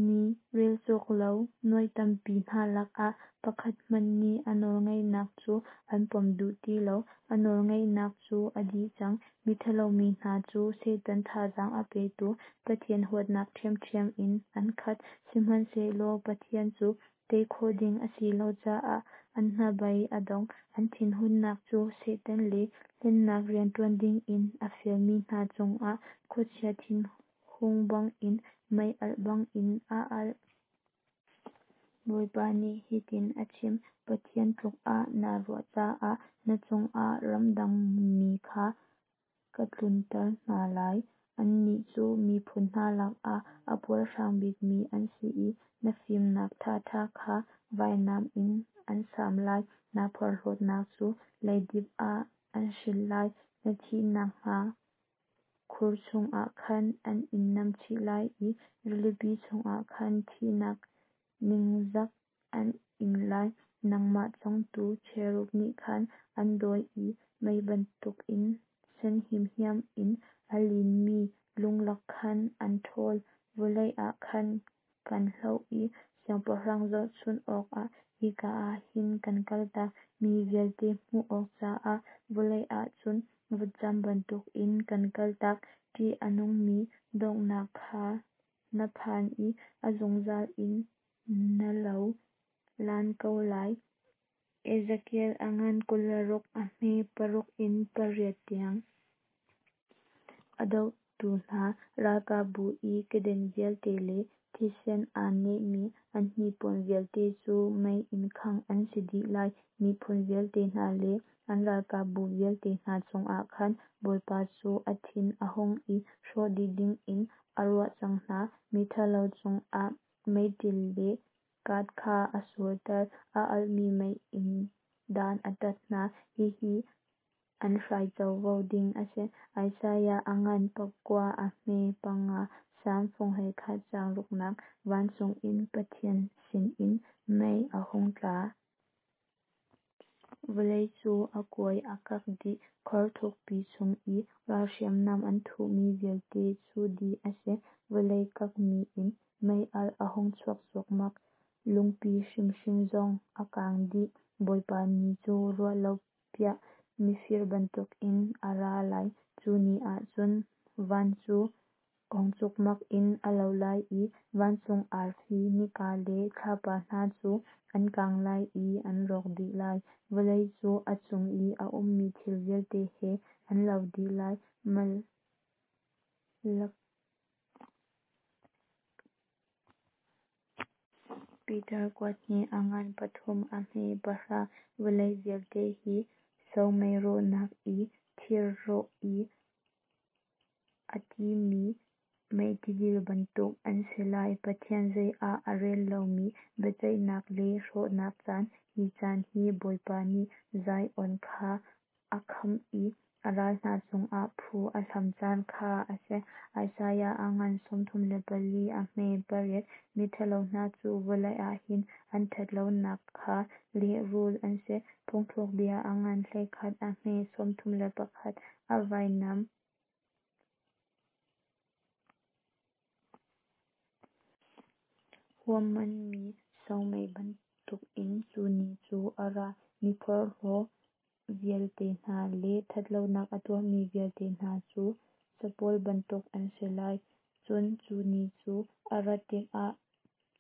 mi relcawk lo nuai tampi hna lakah pakhat hmanh nih a nawlngeihnak cu an pom duh ti lo. A nawlngeihnak cu a dih cang. Miṭhalo mi hna cu Satan thazaang a petu Pathian huatnak ṭhiamṭhiam in an khat. Sihmanhsehlaw Pathian cu tei khawh ding a si lo caah an hnabei a dong. An thinhunnak cu Satan le hlennak rianṭuan dingin a fialmi hna cungah khuachia thinhun. hung bangin, mei alh bangin a alh. Bawipa nih hitin a chim: Pathian tluk ah naa ruah caah na cungah ramdang mi kha ka tlunter hna lai, Annih cu miphun hna lakah a puarhrang bikmi an si i Na fimnak thatha kha vainam in an sam lai. Naa porhlawtnak cu leidip ah an hrilh lai, Na thih nakhnga khur chungah khan an in namchih lai i Rilipi chungah khan thihnak ningzak an ing lai. Nangmah cawngtu cherub nih khan an dawi i Mei bantukin sen himhiam in a linmi lunglak khan an ṭhawl. Vawlei ah khan kan hloh i siangpahrang zohchunh awkah hika ah hin kan kaltak. Mi vialte hmuh awk caah vawlei ah cun vutcam bantukin kan kaltak. Ṭih a nungmi donghnak kha na phan i a zungzal in na lo lan ko lai. Ezekiel a ngan 26 a hme 6 in 8 tiang. A dohtu hna ralkapbu i keden vialte le thisen aa nehmi an hnipuan vialte cu mei in khangh an si dih lai. Miphun vialte hna le an ralkapbu vialte hna cungah khan Bawipa cu a thin a hung i hrawh dih dingin a ruah cang hna. Miṭhalo cungah meiṭil le kat kha a surter, A alhmi mei in dan a tat hna. Hihi an hrai covo ding a si. Isaiah a ngan 9 a hme 5 Salm fung 11 caang ruknak. Vancung in Pathian sinin mei a hung tla. Vawlei cu a kuai a kak dih, Khor thukpi chung i ral hriamnam an thuhmi vialte cu dih a si. Vawlei kakmi in meialh a hung chuak cuahmah, Lungpi hrimhrim zong a kang dih. Bawipa ni cu ruahlopiah mifir bantukin a ra lai. Cu ni ah cun van cu ong cukmak in a lo lai i vancung arfi, nika le thlapa hna cu an kang lai i an rawk dih lai. Vawlei cu a cung i a ummi thil vialte he an lo dih lai. Malak Peter kuat hnih a ngan 3 a hme 10. Vawlei vialte hi somei rawhnak i thir rawh i a timi mei tidil bantuk an si lai. Pathian zei ah a rel lomi biaceihnak le hrawhnak caan. Hi caan hi Bawipa nih Zion kha a khamh i a ral hna cungah phu a hlam caan kha a si. Isaiah a ngan 34 a hme 8. Miṭhalo hna cu vawlei ah hin an ṭhatlonak kha lehrulh an si. Phungthlukbia a ngan 11 a hme 31. A vainam huammanmi somei bantukin cu ni cu a ra. Miphorhlaw vialte hna le ṭhatlonak a tuahmi vialte hna cu capawl bantuk an si lai. Cun cu ni cu a rat tikah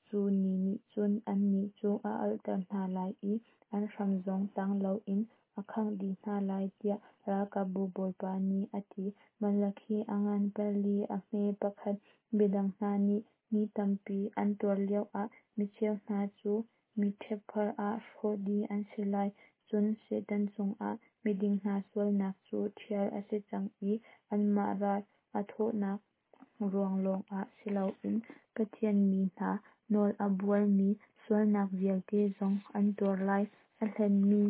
cu ni nih cun annih cu a alhter hna lai i an hram zong tang loin a khangh dih hna lai, tiah Ralkapbu Bawipa nih a ti. Malakhi a ngan 4 a hme 1. Midang hna nih ni tampi an tuar lioah micheu hna cu mitṭhep karah hrawh dih an si lai. Cun Satan cungah miding hna sualnak cu ṭhial a si cang i anmah ral a thawhnak ruang lawngah si loin Pathian mi hna nawl a buarmi sualnak vialte zong an tuar lai. A hlenmi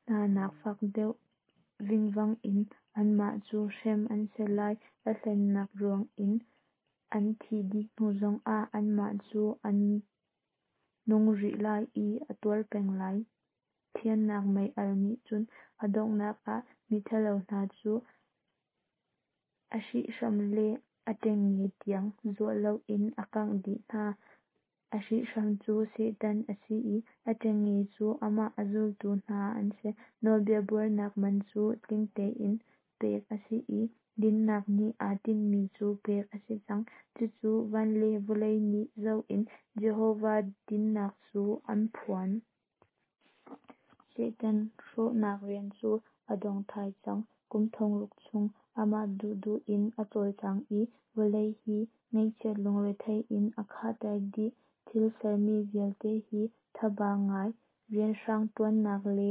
hna nak fak deuh vingvang in anmah cu hrem an si lai. A hlennak ruangin an thih dih hnu zongah anmah cu an nung rih lai i a tuar peng lai. Thiannak mei-alh nih cun a donghnak ah miṭhalo hna cu a hrihhram le a ṭengnge tiang zuah loin a kangh dih hna. A hrihhram cu Satan a si i a ṭengnge cu amah a zultu hna an si. Nawlbia buarnak man cu tling tein pek a si i dinnak nih aa tinhmi cu pek a si cang. Cucu van le vawlei nih zoh in Jehovah dinnak cu an phuan. Satan hrawhnak rian cu a dong thai cang. Kum thongruk chung amah duhduh in a cawlcang i vawlei hi ngaihchiat lungrethei in a khahter dih. Thil sermi vialte hi thaba ngai rianhrang ṭuannak le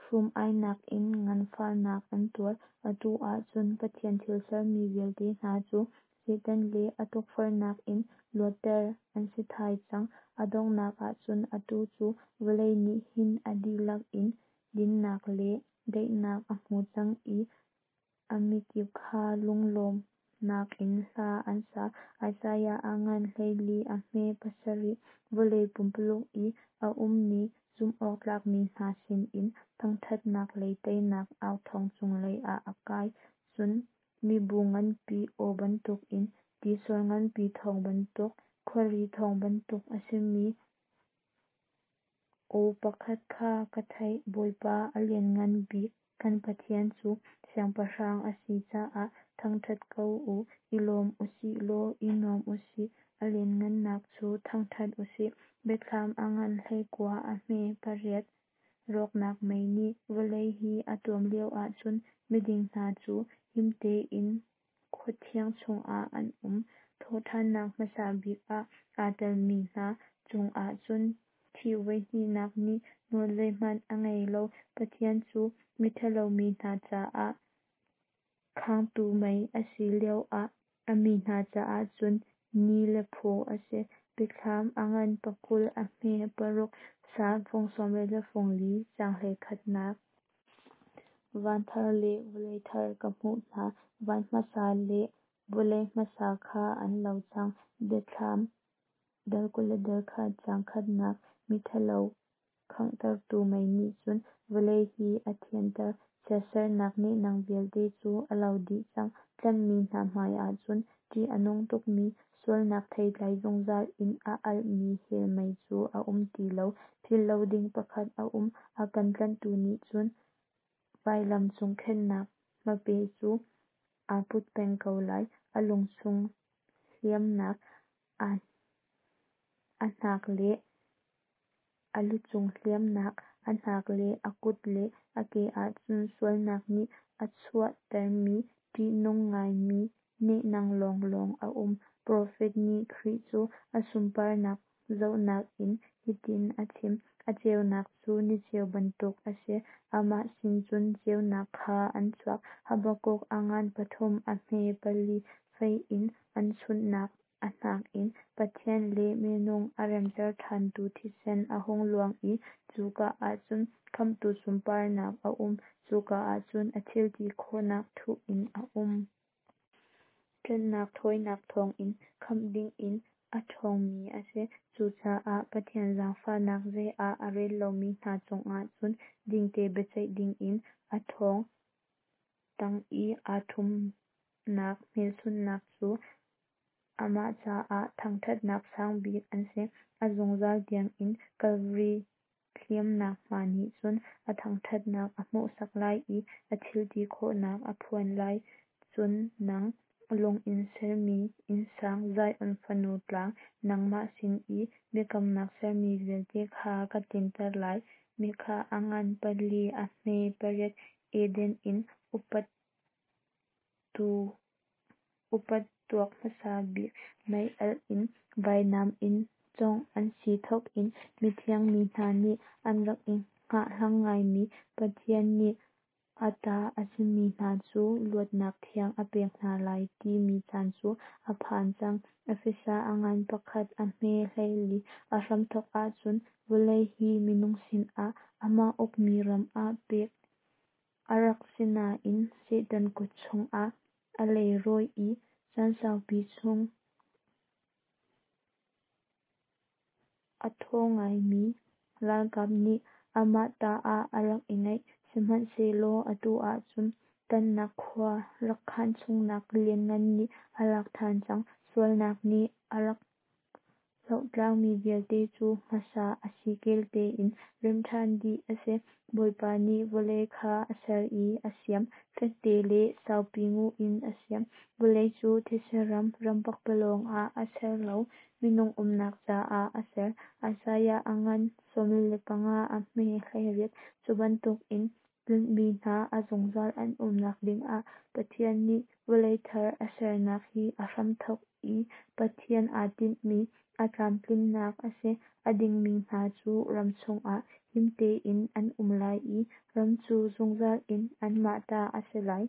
hrum-ainak in nganfahnak an tuar. Atu ah cun Pathian thil sermi vialte hna cu Satan le a tukforhnak in luatter an si thai cang. A donghnak ah cun atu cu vawlei nih hin a dihlak in dinnak le daihnak a hmu cang i a mikip kha lunglawmhnak in hla an sa. Isaiah a ngan 14 a hme 7. Vawlei pumpuluk i a ummi zumhawktlakmi hna sinin thangṭhatnak le teinak authawng cunglei ah a kai. Cun mibu nganpi aw bantukin, tisor nganpi thawng bantuk, khuari thawng bantuk a simi aw pakhat kha ka theih: Bawipa, a Lianngan Bik kan Pathian cu Siangpahrang a si caah thangṭhat ko u; i lawm u sih law i nuam u sih, a lianhngannak cu thangṭhat u sih. Biathlam a ngan 19 a hme 8. Rawknak mei nih vawlei hi a tuam lioah cun miding hna cu him tein khua thiang chungah an um. Thawhṭhannak hmasa bik ah aa telmi hna cungah cun thih voi hnihnak nih nawl zeihmanh a ngei lo. Pathian cu miṭhalo mi hna caah khangtu mei a si lioah a mi hna caah cun ni le phaw a si. Biathlam a ngan 20 a hme 6. Salm fung 44 caang 21nak. Van thar le vawlei thar ka hmuh hna; van hmasa le vawlei hmasa kha an lo cang. Biathlam dal 21 caang khatnak. Miṭhalo khanghtertu mei nih cun vawlei hi a thianter, chiatsernak nehnang vialte cu a lo dih cang. Tlanhmi hna hmai ahcun ṭih a nung tukmi sualnak theitlai zungzal in a alhmi hell mei cu a um ti lo. Philh lo ding pakhat a um: a kan tlanhtu nih cun vailam cung khenhnak hmape cu aa put peng ko lai. A lungchung hliamnak, a hnak le a lucung hliamnak, a hnak le a kut le a ke ahcun sualnak nih a chuahtermi ṭihnung ngaimi nehnang lawnglawng a um. Profet nih Khrih cu a sunparnak zohnak in hitin a chim: A ceunak cu niceu bantuk a si, amah sin cun ceunak kha an chuak. Habakkuk a ngan 3 a hme 4. Fei in an chunhnak a hnak in Pathian le minung a remter ṭhantu thisen a hung luang i cuka ahcun Khamhtu sunparnak a um, cuka ahcun a thilti khawhnak thuh in a um. Tlanhnak thawinak thawngin khamh dingin a ṭhawngmi a si. Cucaah Pathian zaangfahnak zei ah a rel lomi hna cungah cun dingte biaceih dingin a thong tang i aa ṭhumnak hmelchunhnak cu amah caah thangṭhatnak sang bik an si. A zungzal tiangin Kalvari hliamnak hma nih cun a thangṭhatnak a hmuhsak lai i a thilti khawhnak a phuan lai. Cun nang, lung in sermi innsang, Zion fanu tlang, nangmah sin i biakamnak sermi vialte kha ka tlinter lai. Mikah a ngan 4 a hme 8. Eden inn upat tuak hmasa bik mei alh in vainam in cawngh an si thawk in mithiang mi hna nih an rak i hngahhlang ngaimi Pathian nih a ta a simi hna cu luatnak thiang a pek hna lai timi caan cu a phan cang. Efesa a ngan 1 a hme 14. A hramthawk ah cun vawlei hi minung sinah amah ukmi ram ah pek a rak si nain Satan kut chungah a leirawi i caan saupi chung a thaw ngaimi ralkap nih amah ta ah a rak i ngeih. Sihmanhsehlaw atu ah cun tlanhnak khua rak khan chungnak lianngan nih a lak ṭhan cang. Sualnak nih a rak hlohtlakmi vialte cu hmasa a sikel tein remh ṭhan dih a si. Bawipa nih vawlei kha a ser i a siam, fekte le saupi nguh in a siam. Vawlei cu thetse ram, ram pakpalawng ah a ser lo, minung umnak caah a ser. Isaiah a ngan 45 a hme 18. Cu bantukin. Tlanhmi hna a zungzal an umnak dingah Pathian nih vawlei thar a sernak hi a hramthawk i Pathian aa tinhmi a tlamtlinnak a si. A dingmi hna cu ram chungah him tein an um lai i ram cu zungzal in anmah ta a si lai.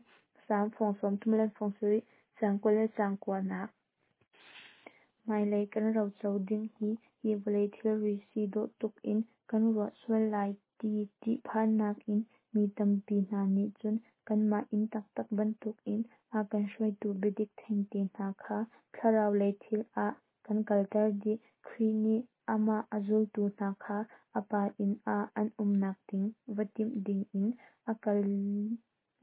Salm fung 37 caang 20 le caang 9nak. Hmailei kan roco ding hi, hi vawlei thilri si dawh tuk in kan ruah sual lai ti ṭihphannak in mi tampi hna nih cun kanmah inn taktak bantukin a kan hruaitu biadik thengte hna kha thlarau lei thil ah kan kalter dih. Khrih nih amah a zultu hna kha a Pa inn ah an umnak ding va timh dingin a kal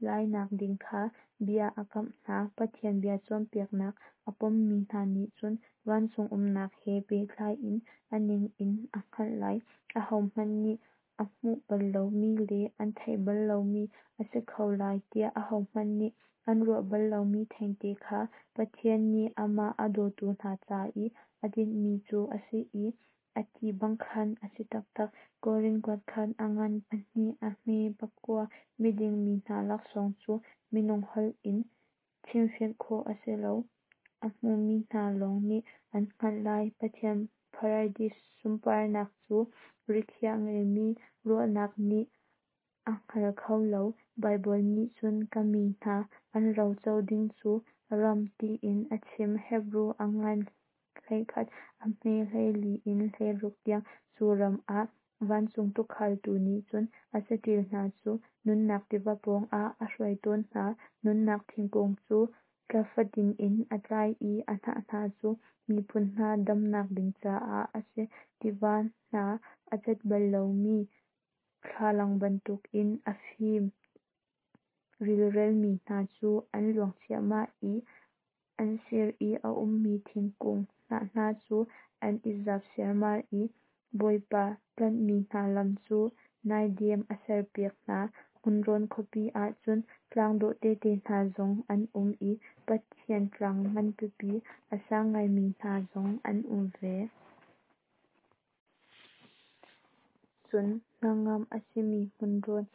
lainak ding kha bia a kamh hna. Pathian bia cawnpiaknak a pommi hna nih cun vancung umnak he pehtlai in a ning in a hngalh lai. Ahohmanh nih a hmuh bal lomi le an theih bal lomi a si kho lai tiah ahohmanh nih an ruah bal lomi thengte kha Pathian nih amah a dawtu hna ca i a tinhmi cu a si i a ti bang khan a si taktak. Korin kuatkhat a ngan 2 a hme 9. Miding mi hna laksawng cu minung holh in chimfianh khawh a si lo, a hmumi hna lawng nih an hngalh lai. Pathian paradis sunparnak cu rikhiah ngeimi ruahnak nih a hngal kho lo. Baibal nih cun ka mi hna an roco ding cu ram tiin a chim. Hebru a ngan 11 a hme 14 in 16 tiang. Cu ram ah vancung tuukhaltu nih cun a saṭil hna cu nunnak tiva pawngah a hruai tawn hna. Nunnak thingkung cu thla fatin in a tlai i a hnah hna cu miphun hna damnak ding caah a si. Tiva hna a cat bal lomi thlalang bantukin a fim rilrelmi hna cu an luang ciahmah i an sir i a ummi thingkung hnah hna cu an i zap siarmar i Bawipa tlanhmi hna lam cu naidem a serpiak hna. Hmunrawn khuapi ah cun tlang dawh tete hna zong an um i Pathian tlang nganpipi a sang ngaimi hna zong an um ve. Cun hnangam a simi hmunrawn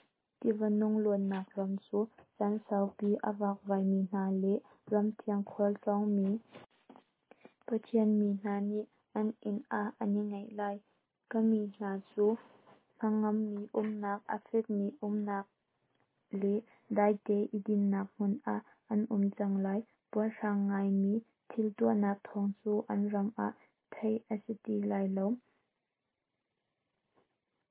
tiva nung luannak ram cu caan saupi a vakvaimi hna le ramthiang khualtlawngmi Pathian mi hna nih an inn ah an i ngaih lai. Ka mi hna cu hnangammi umnak, a fekmi umnak le daite i dinhnak hmun ah an um cang lai. Puarhrang ngaimi thil tuahnak thawng cu an ram ah theih a si ti lai lo.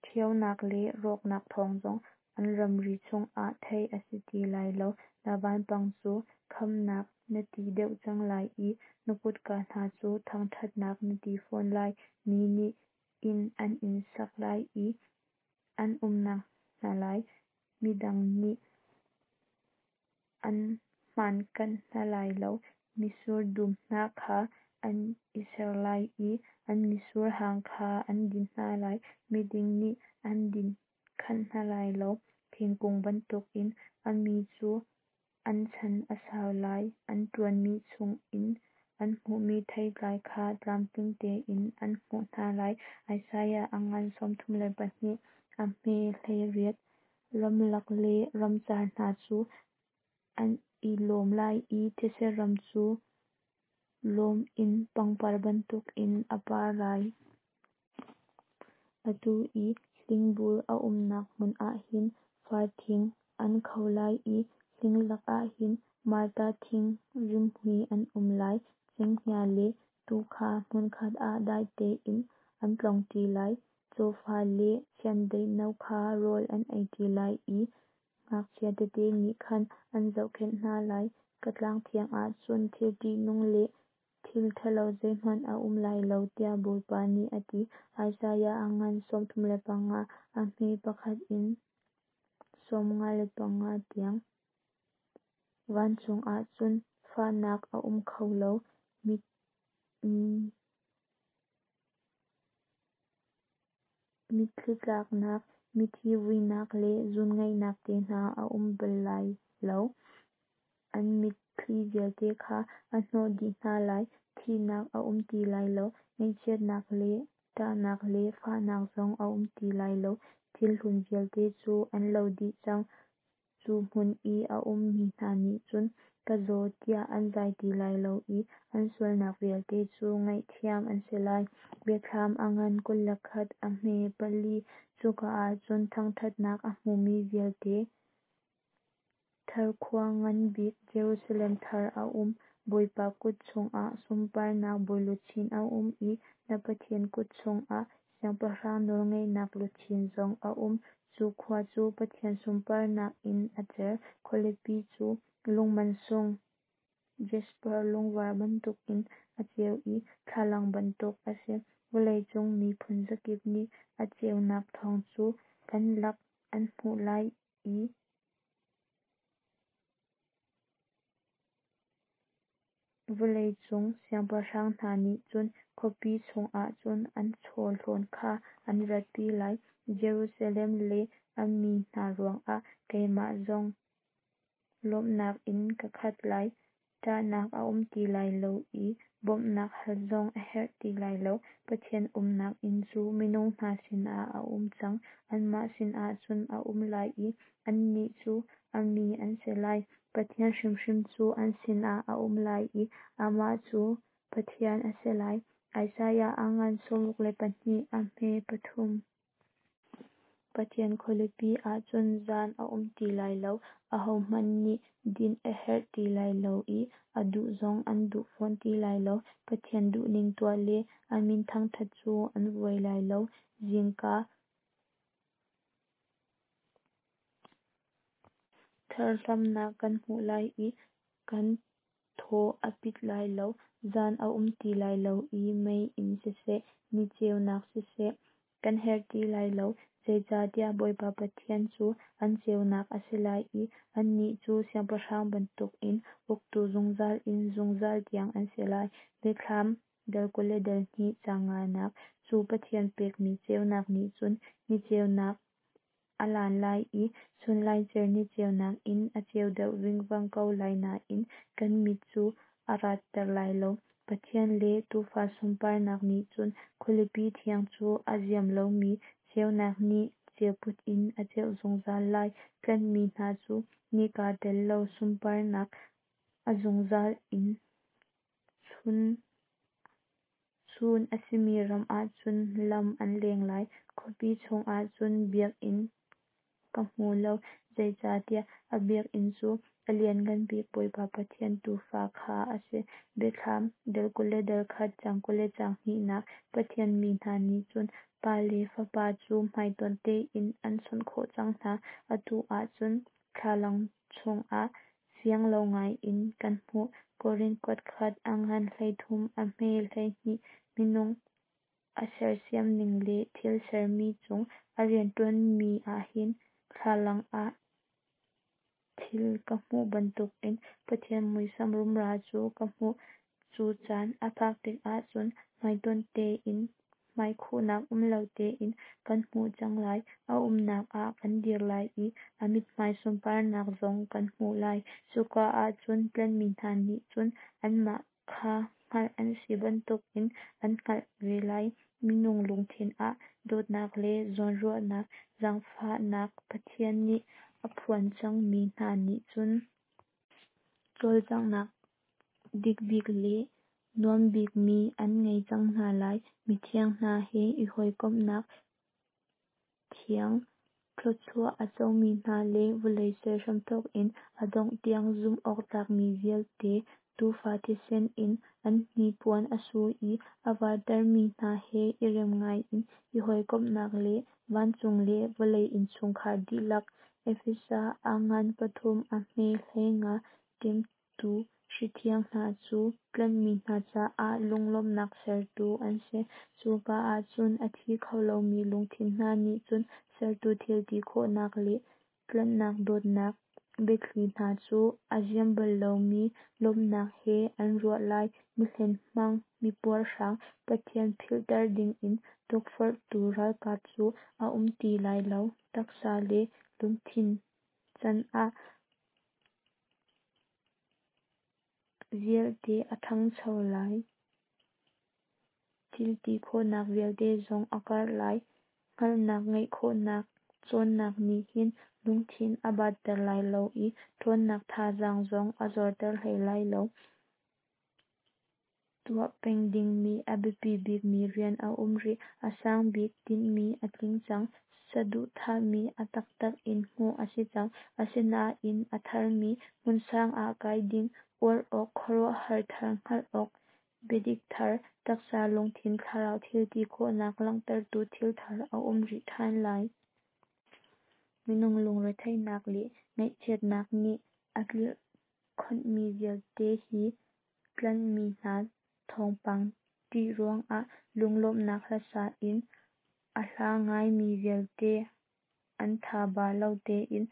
Ṭhionak le rawknak thawng zong an ramri chungah theih a si ti lai lo. Na vanpang cu Khamhnak na ti deuh cang lai i na kutka hna cu Thangṭhatnak na ti fawn lai. Mi nih inn an in sak lai i an umnak hna lai, midang nih an hmankanh hna lai lo. Mitsur dum hna kha an i ser lai i an mitsur hang kha an din hna lai, miding nih an din khanh hna lai lo. Thingkung bantukin a mi cu an chan a sau lai, an ṭuanmi chungin an hmuhmi theitlai kha tlamtling tein an hmuh hna lai. Isaiah a ngan 32 a hme 18. Ramlak le ramcar hna cu an i lawm lai i thetse ram cu lawm in pangpar bantukin a par lai. Atu i hlingbur a umnak hmun ah hin far thing an kho lai i hling lakah hin marta thing rimhmui an um lai. Cenghngia le tuu kha hmunkhat ah dai tein an tlong ṭi lai, cawfa le chiandeih no kha rawl an ei ṭi lai i ngakchia tete nih khan an zohkhenh hna lai. Ka tlang thiang ah cun thil ṭihnung le thil ṭhalo zeihmanh a um lai lo, tiah Bawipa nih a ti. Isaiah a ngan 35 a hme 1 in 55 tiang. Vancung ah cun fahnak a um kho lo, mitthli tlaknak, mithi vuinak le zuunngaihnak te hna a um bal lai lo. An mitthli vialte kha a hnawh dih hna lai. Thihnak a um ti lai lo, ngaihchiatnak le Ṭahnak le fahnak zong a um ti lai lo. Thil hlun vialte cu an lo dih cang. Cu hmun i a ummi hna nih cun, Ka zaw, tiah an zai ti lai lo i an sualnak vialte cu ngaihthiam an si lai. Biathlam a ngan 21 a hme 4. Cuka ah cun thangṭhatnak a hmumi vialte thar khua ngan bik Jerusalem thar a um. Bawipa kut chungah sunparnak bawiluchin a um i na Pathian kut chungah siangpahrang nawlngeihnak luchin zong a um. Cu khua cu Pathian sunparnak in a cer. Khualipi cu lung mansung jasper lungvar bantukin a ceu i thlalang bantuk a si. Vawleicung mi phunzakip nih a ceunak thawng cu kan lak an hmuh lai i vawleicung siangpahrang hna nih cun khuapi chungah cun an chawhlawn kha an ratpi lai. Jerusalem le a mi hna ruangah keimah zong lawmhnak in ka khat lai. Ṭahnak a um ti lai lo i bawmhnak hal zong a herh ti lai lo. Pathian umnak inn cu minung hna sinah a um cang. Anmah sinah cun a um lai i annih cu a mi an si lai. Pathian hrimhrim cu an sinah a um lai i amah cu Pathian a si lai. Isaiah a ngan 62 a hme 3. Pathian khualipi ah cun zan a um ti lai lo. Ahohmanh nih dinh a herh ti lai lo i a duh zong an duh fawn ti lai lo. Pathian duhning tuah le a min thangṭhat cu an vuai lai lo. Zingka tharhlamnak kan hmuh lai i kan thaw a pit lai lo. Zan a um ti lai lo i meiinn siseh, ni ceunak siseh, kan herh ti lai lo. Zeicahtiah Bawipa Pathian cu an ceunak a si lai i annih cu siangpahrang bantukin uktu zungzal in zungzal tiang an si lai. Biathlam dal 22 caang nganak. Cu Pathian pekmi ceunak nih cun ni ceunak a lan lai i chunlaicer ni ceunak in a ceu deuh vingvang ko lai nain kan mit cu a ratter lai lo. Pathian le Tuufa sunparnak nih cun khualipi thiang cu a ziam lomi ceunak nih ceuput in a ceuh zungzal lai. Tlanhmi hna cu nika tel lo sunparnak a zungzal in chun a simi ram ah cun lam an leng lai. Khuapi chungah cun biakinn ka hmu lo, zeicahtiah a biakinn cu a Lianngan Bik Bawipa Pathian Tuufa kha a si. Biathlam dal 21 caang 20 le caang hnihnak. Pathian mi hna nih cun Pa le Fapa cu hmaitonh tein an chawnh khawh cang hna. Atu ahcun thlalang chungah fiang lo ngai in kan hmuh. Korin kuatkhat a ngan 13 a hme 12 Minung a sersiam ning le thil sermi cung a rianṭuanmi ahhin thlalang ah thil ka hmuh bantukin Pathian muisam rumra cu ka hmuh. Cu caan a phak tikah cun hmaitonh tein hmaikhuhnak um lo tein kan hmuh cang lai. A umnak ah kan dir lai i a mithmai sunparnak zong kan hmuh lai. Cuka ah cun tlanhmi hna nih cun anmah kha hngalh an si bantukin an hngalh ve lai. Minung lungthin ah dawtnak le zawnruahnak, zaangfahnak Pathian nih a phuan cangmi hna nih cun cawlcanghnak dikbik le nuambikmi an ngei cang hna lai. Mithiang hna he i hawikomhnak thiang thluachuah a comi hna le vawlei ser hramthawk in a dongh tiang zumh awk tlakmi vialte, Tuufa thisen in an hnipuan a su i a vartermi hna he i rem ngaiin i hawikomhnak le vancung le vawlei innchungkhar dihlak. Efesa a ngan pathum a hme 15 Ṭemtu hri thiang hna cu tlanhmi hna caah lunglawmhnak sertu an si. Cuka ah cun a thi kho lomi lungthin hna nih cun sertu thil ti khawhnak le tlanhnak dawtnak biathli hna cu a ziam bal lomi lawmhnak he an ruah lai. Mihlen hmang, mipuarhrang, Pathian philhter dingin tukforhtu ralkap cu a um ti lai lo. Taksa le lungthin can ah vialte a ṭhangcho lai. Thil ti khawhnak vialte zong a karh lai. Hngalhnak ngeih khawhnak cawnnak nih hin lungthin a batter lai lo i ṭhawnnak thazaang zong a zorter hlei lai lo. Tuah peng dingmi a biapi bikmi rian a um rih. A sang bik tinhmi a tling cang. Saduhthahmi a taktak in hmuh a si cang. Asinain a tharmi hmunsang ah kai ding, uar awk, khuaruahhar thar hngalh awk, biadik thar, taksa lungthin thlarau thilti khawhnak langhtertu thil thar a um rih ṭhan lai. Minung lungretheihnak le ngaihchiatnak nih a tlirhkhonhmi vialte hi tlanhmi hna thawngpang ṭih ruangah lunglawmhnak hlasa in a hla ngaimi vialte an thaba lo tein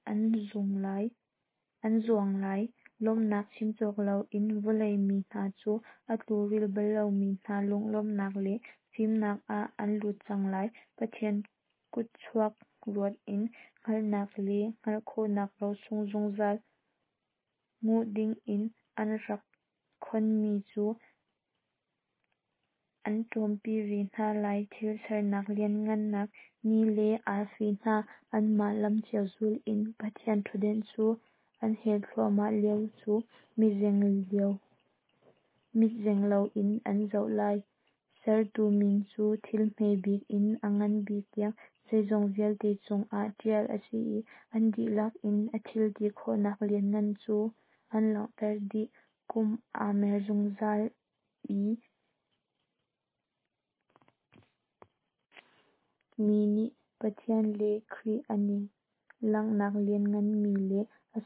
an zuang lai. Lawmhnak chimcawk loin vawlei mi hna cu a tluril bal lomi hna lunglawmhnak le fimnak ah an lut cang lai. Pathian kutchuak ruat in hngalhnak le hngalh khawhnak rosung zungzal nguh dingin an rak khonmi cu an ṭawmpi ve hna lai. Thil sernak lianhngannak, ni le arfi hna anmah lam cio zul in Pathian ṭhutdenh cu an hel thluahmah lio cu mitzeng loin an zoh lai. Sertu min cu thil hme bik in a ngan bik tiang zeizong vialte cungah ṭial a si i an dihlak in a thil ti khawhnak lianngan cu an langhter dih. Kum aa mer zungzal i mi nih Pathian le Khrih an i langhnak liannganmi le a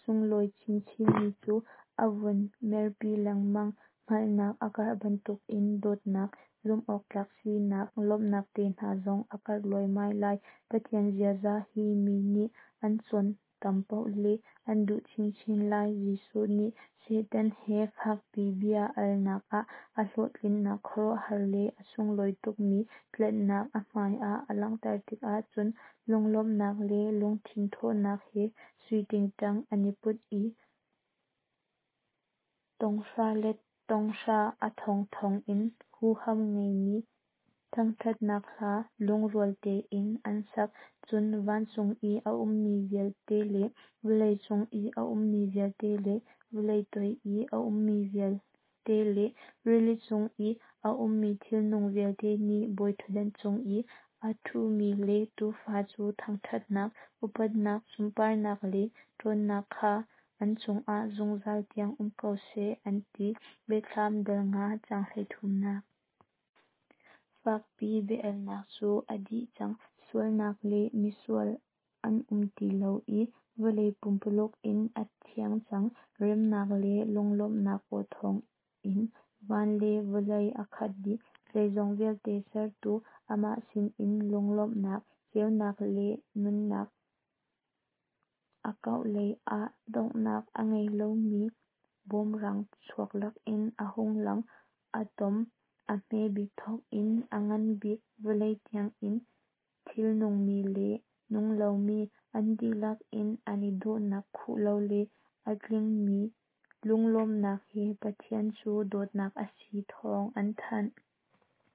sunglawi chinchinmi cu a vun merpi lengmang. Hngalhnak a karh bantukin dawtnak, zumhawktlak sinak, lawmhnak te hna zong a karh luaimai lai. Pathian ziaza hi mi nih an cawn tam paoh le an duh chinchin lai. Jesuh nih Satan he fakpi bia alnak ah a hlawhtlinnak khuaruahhar le a sunglawi tukmi tlanhnak a hmai ah a langhter tikah cun lunglawmhnak le lungthin thawhnak he sui tingtang an i put i thonghra let thonghra a thongthong in huham ngeimi thangṭhatnak hla lungrual tein an sak. Cun vancung i a ummi vialte le vawlei cung i a ummi vialte le vawlei toi i a ummi vialte le rili chung i a ummi thilnung vialte nih bawiṭhutdan cung i a ṭhumi le Tuufa cu thangṭhatnak, upatnak, sunparnak le ṭhawnnak kha an cungah zungzal tiang um ko seh, an ti. Biathlam dal 5, caang 33nak. Fakpi bia-alnak cu a dih cang. Sualnak le misual an um ti lo i vawlei pumpululuk in a thiang cang. Remnak le lunglawmhnak aw thawng in van le vawlei a khat dih. Zeizong vialte sertu amah sin in lunglawmhnak, ceunak le nunnak a kauh lei ah donghnak a ngei lomi bawmrang chuak lakin a hung lang. Atom a hme bik thawk in a ngan bik vawlei tiang in thil nungmi le nung lomi an dihlak in an i dawhnak khuh lo le a tlingmi lunglawmhnak he Pathian cu dawtnak a si thawng an thanh.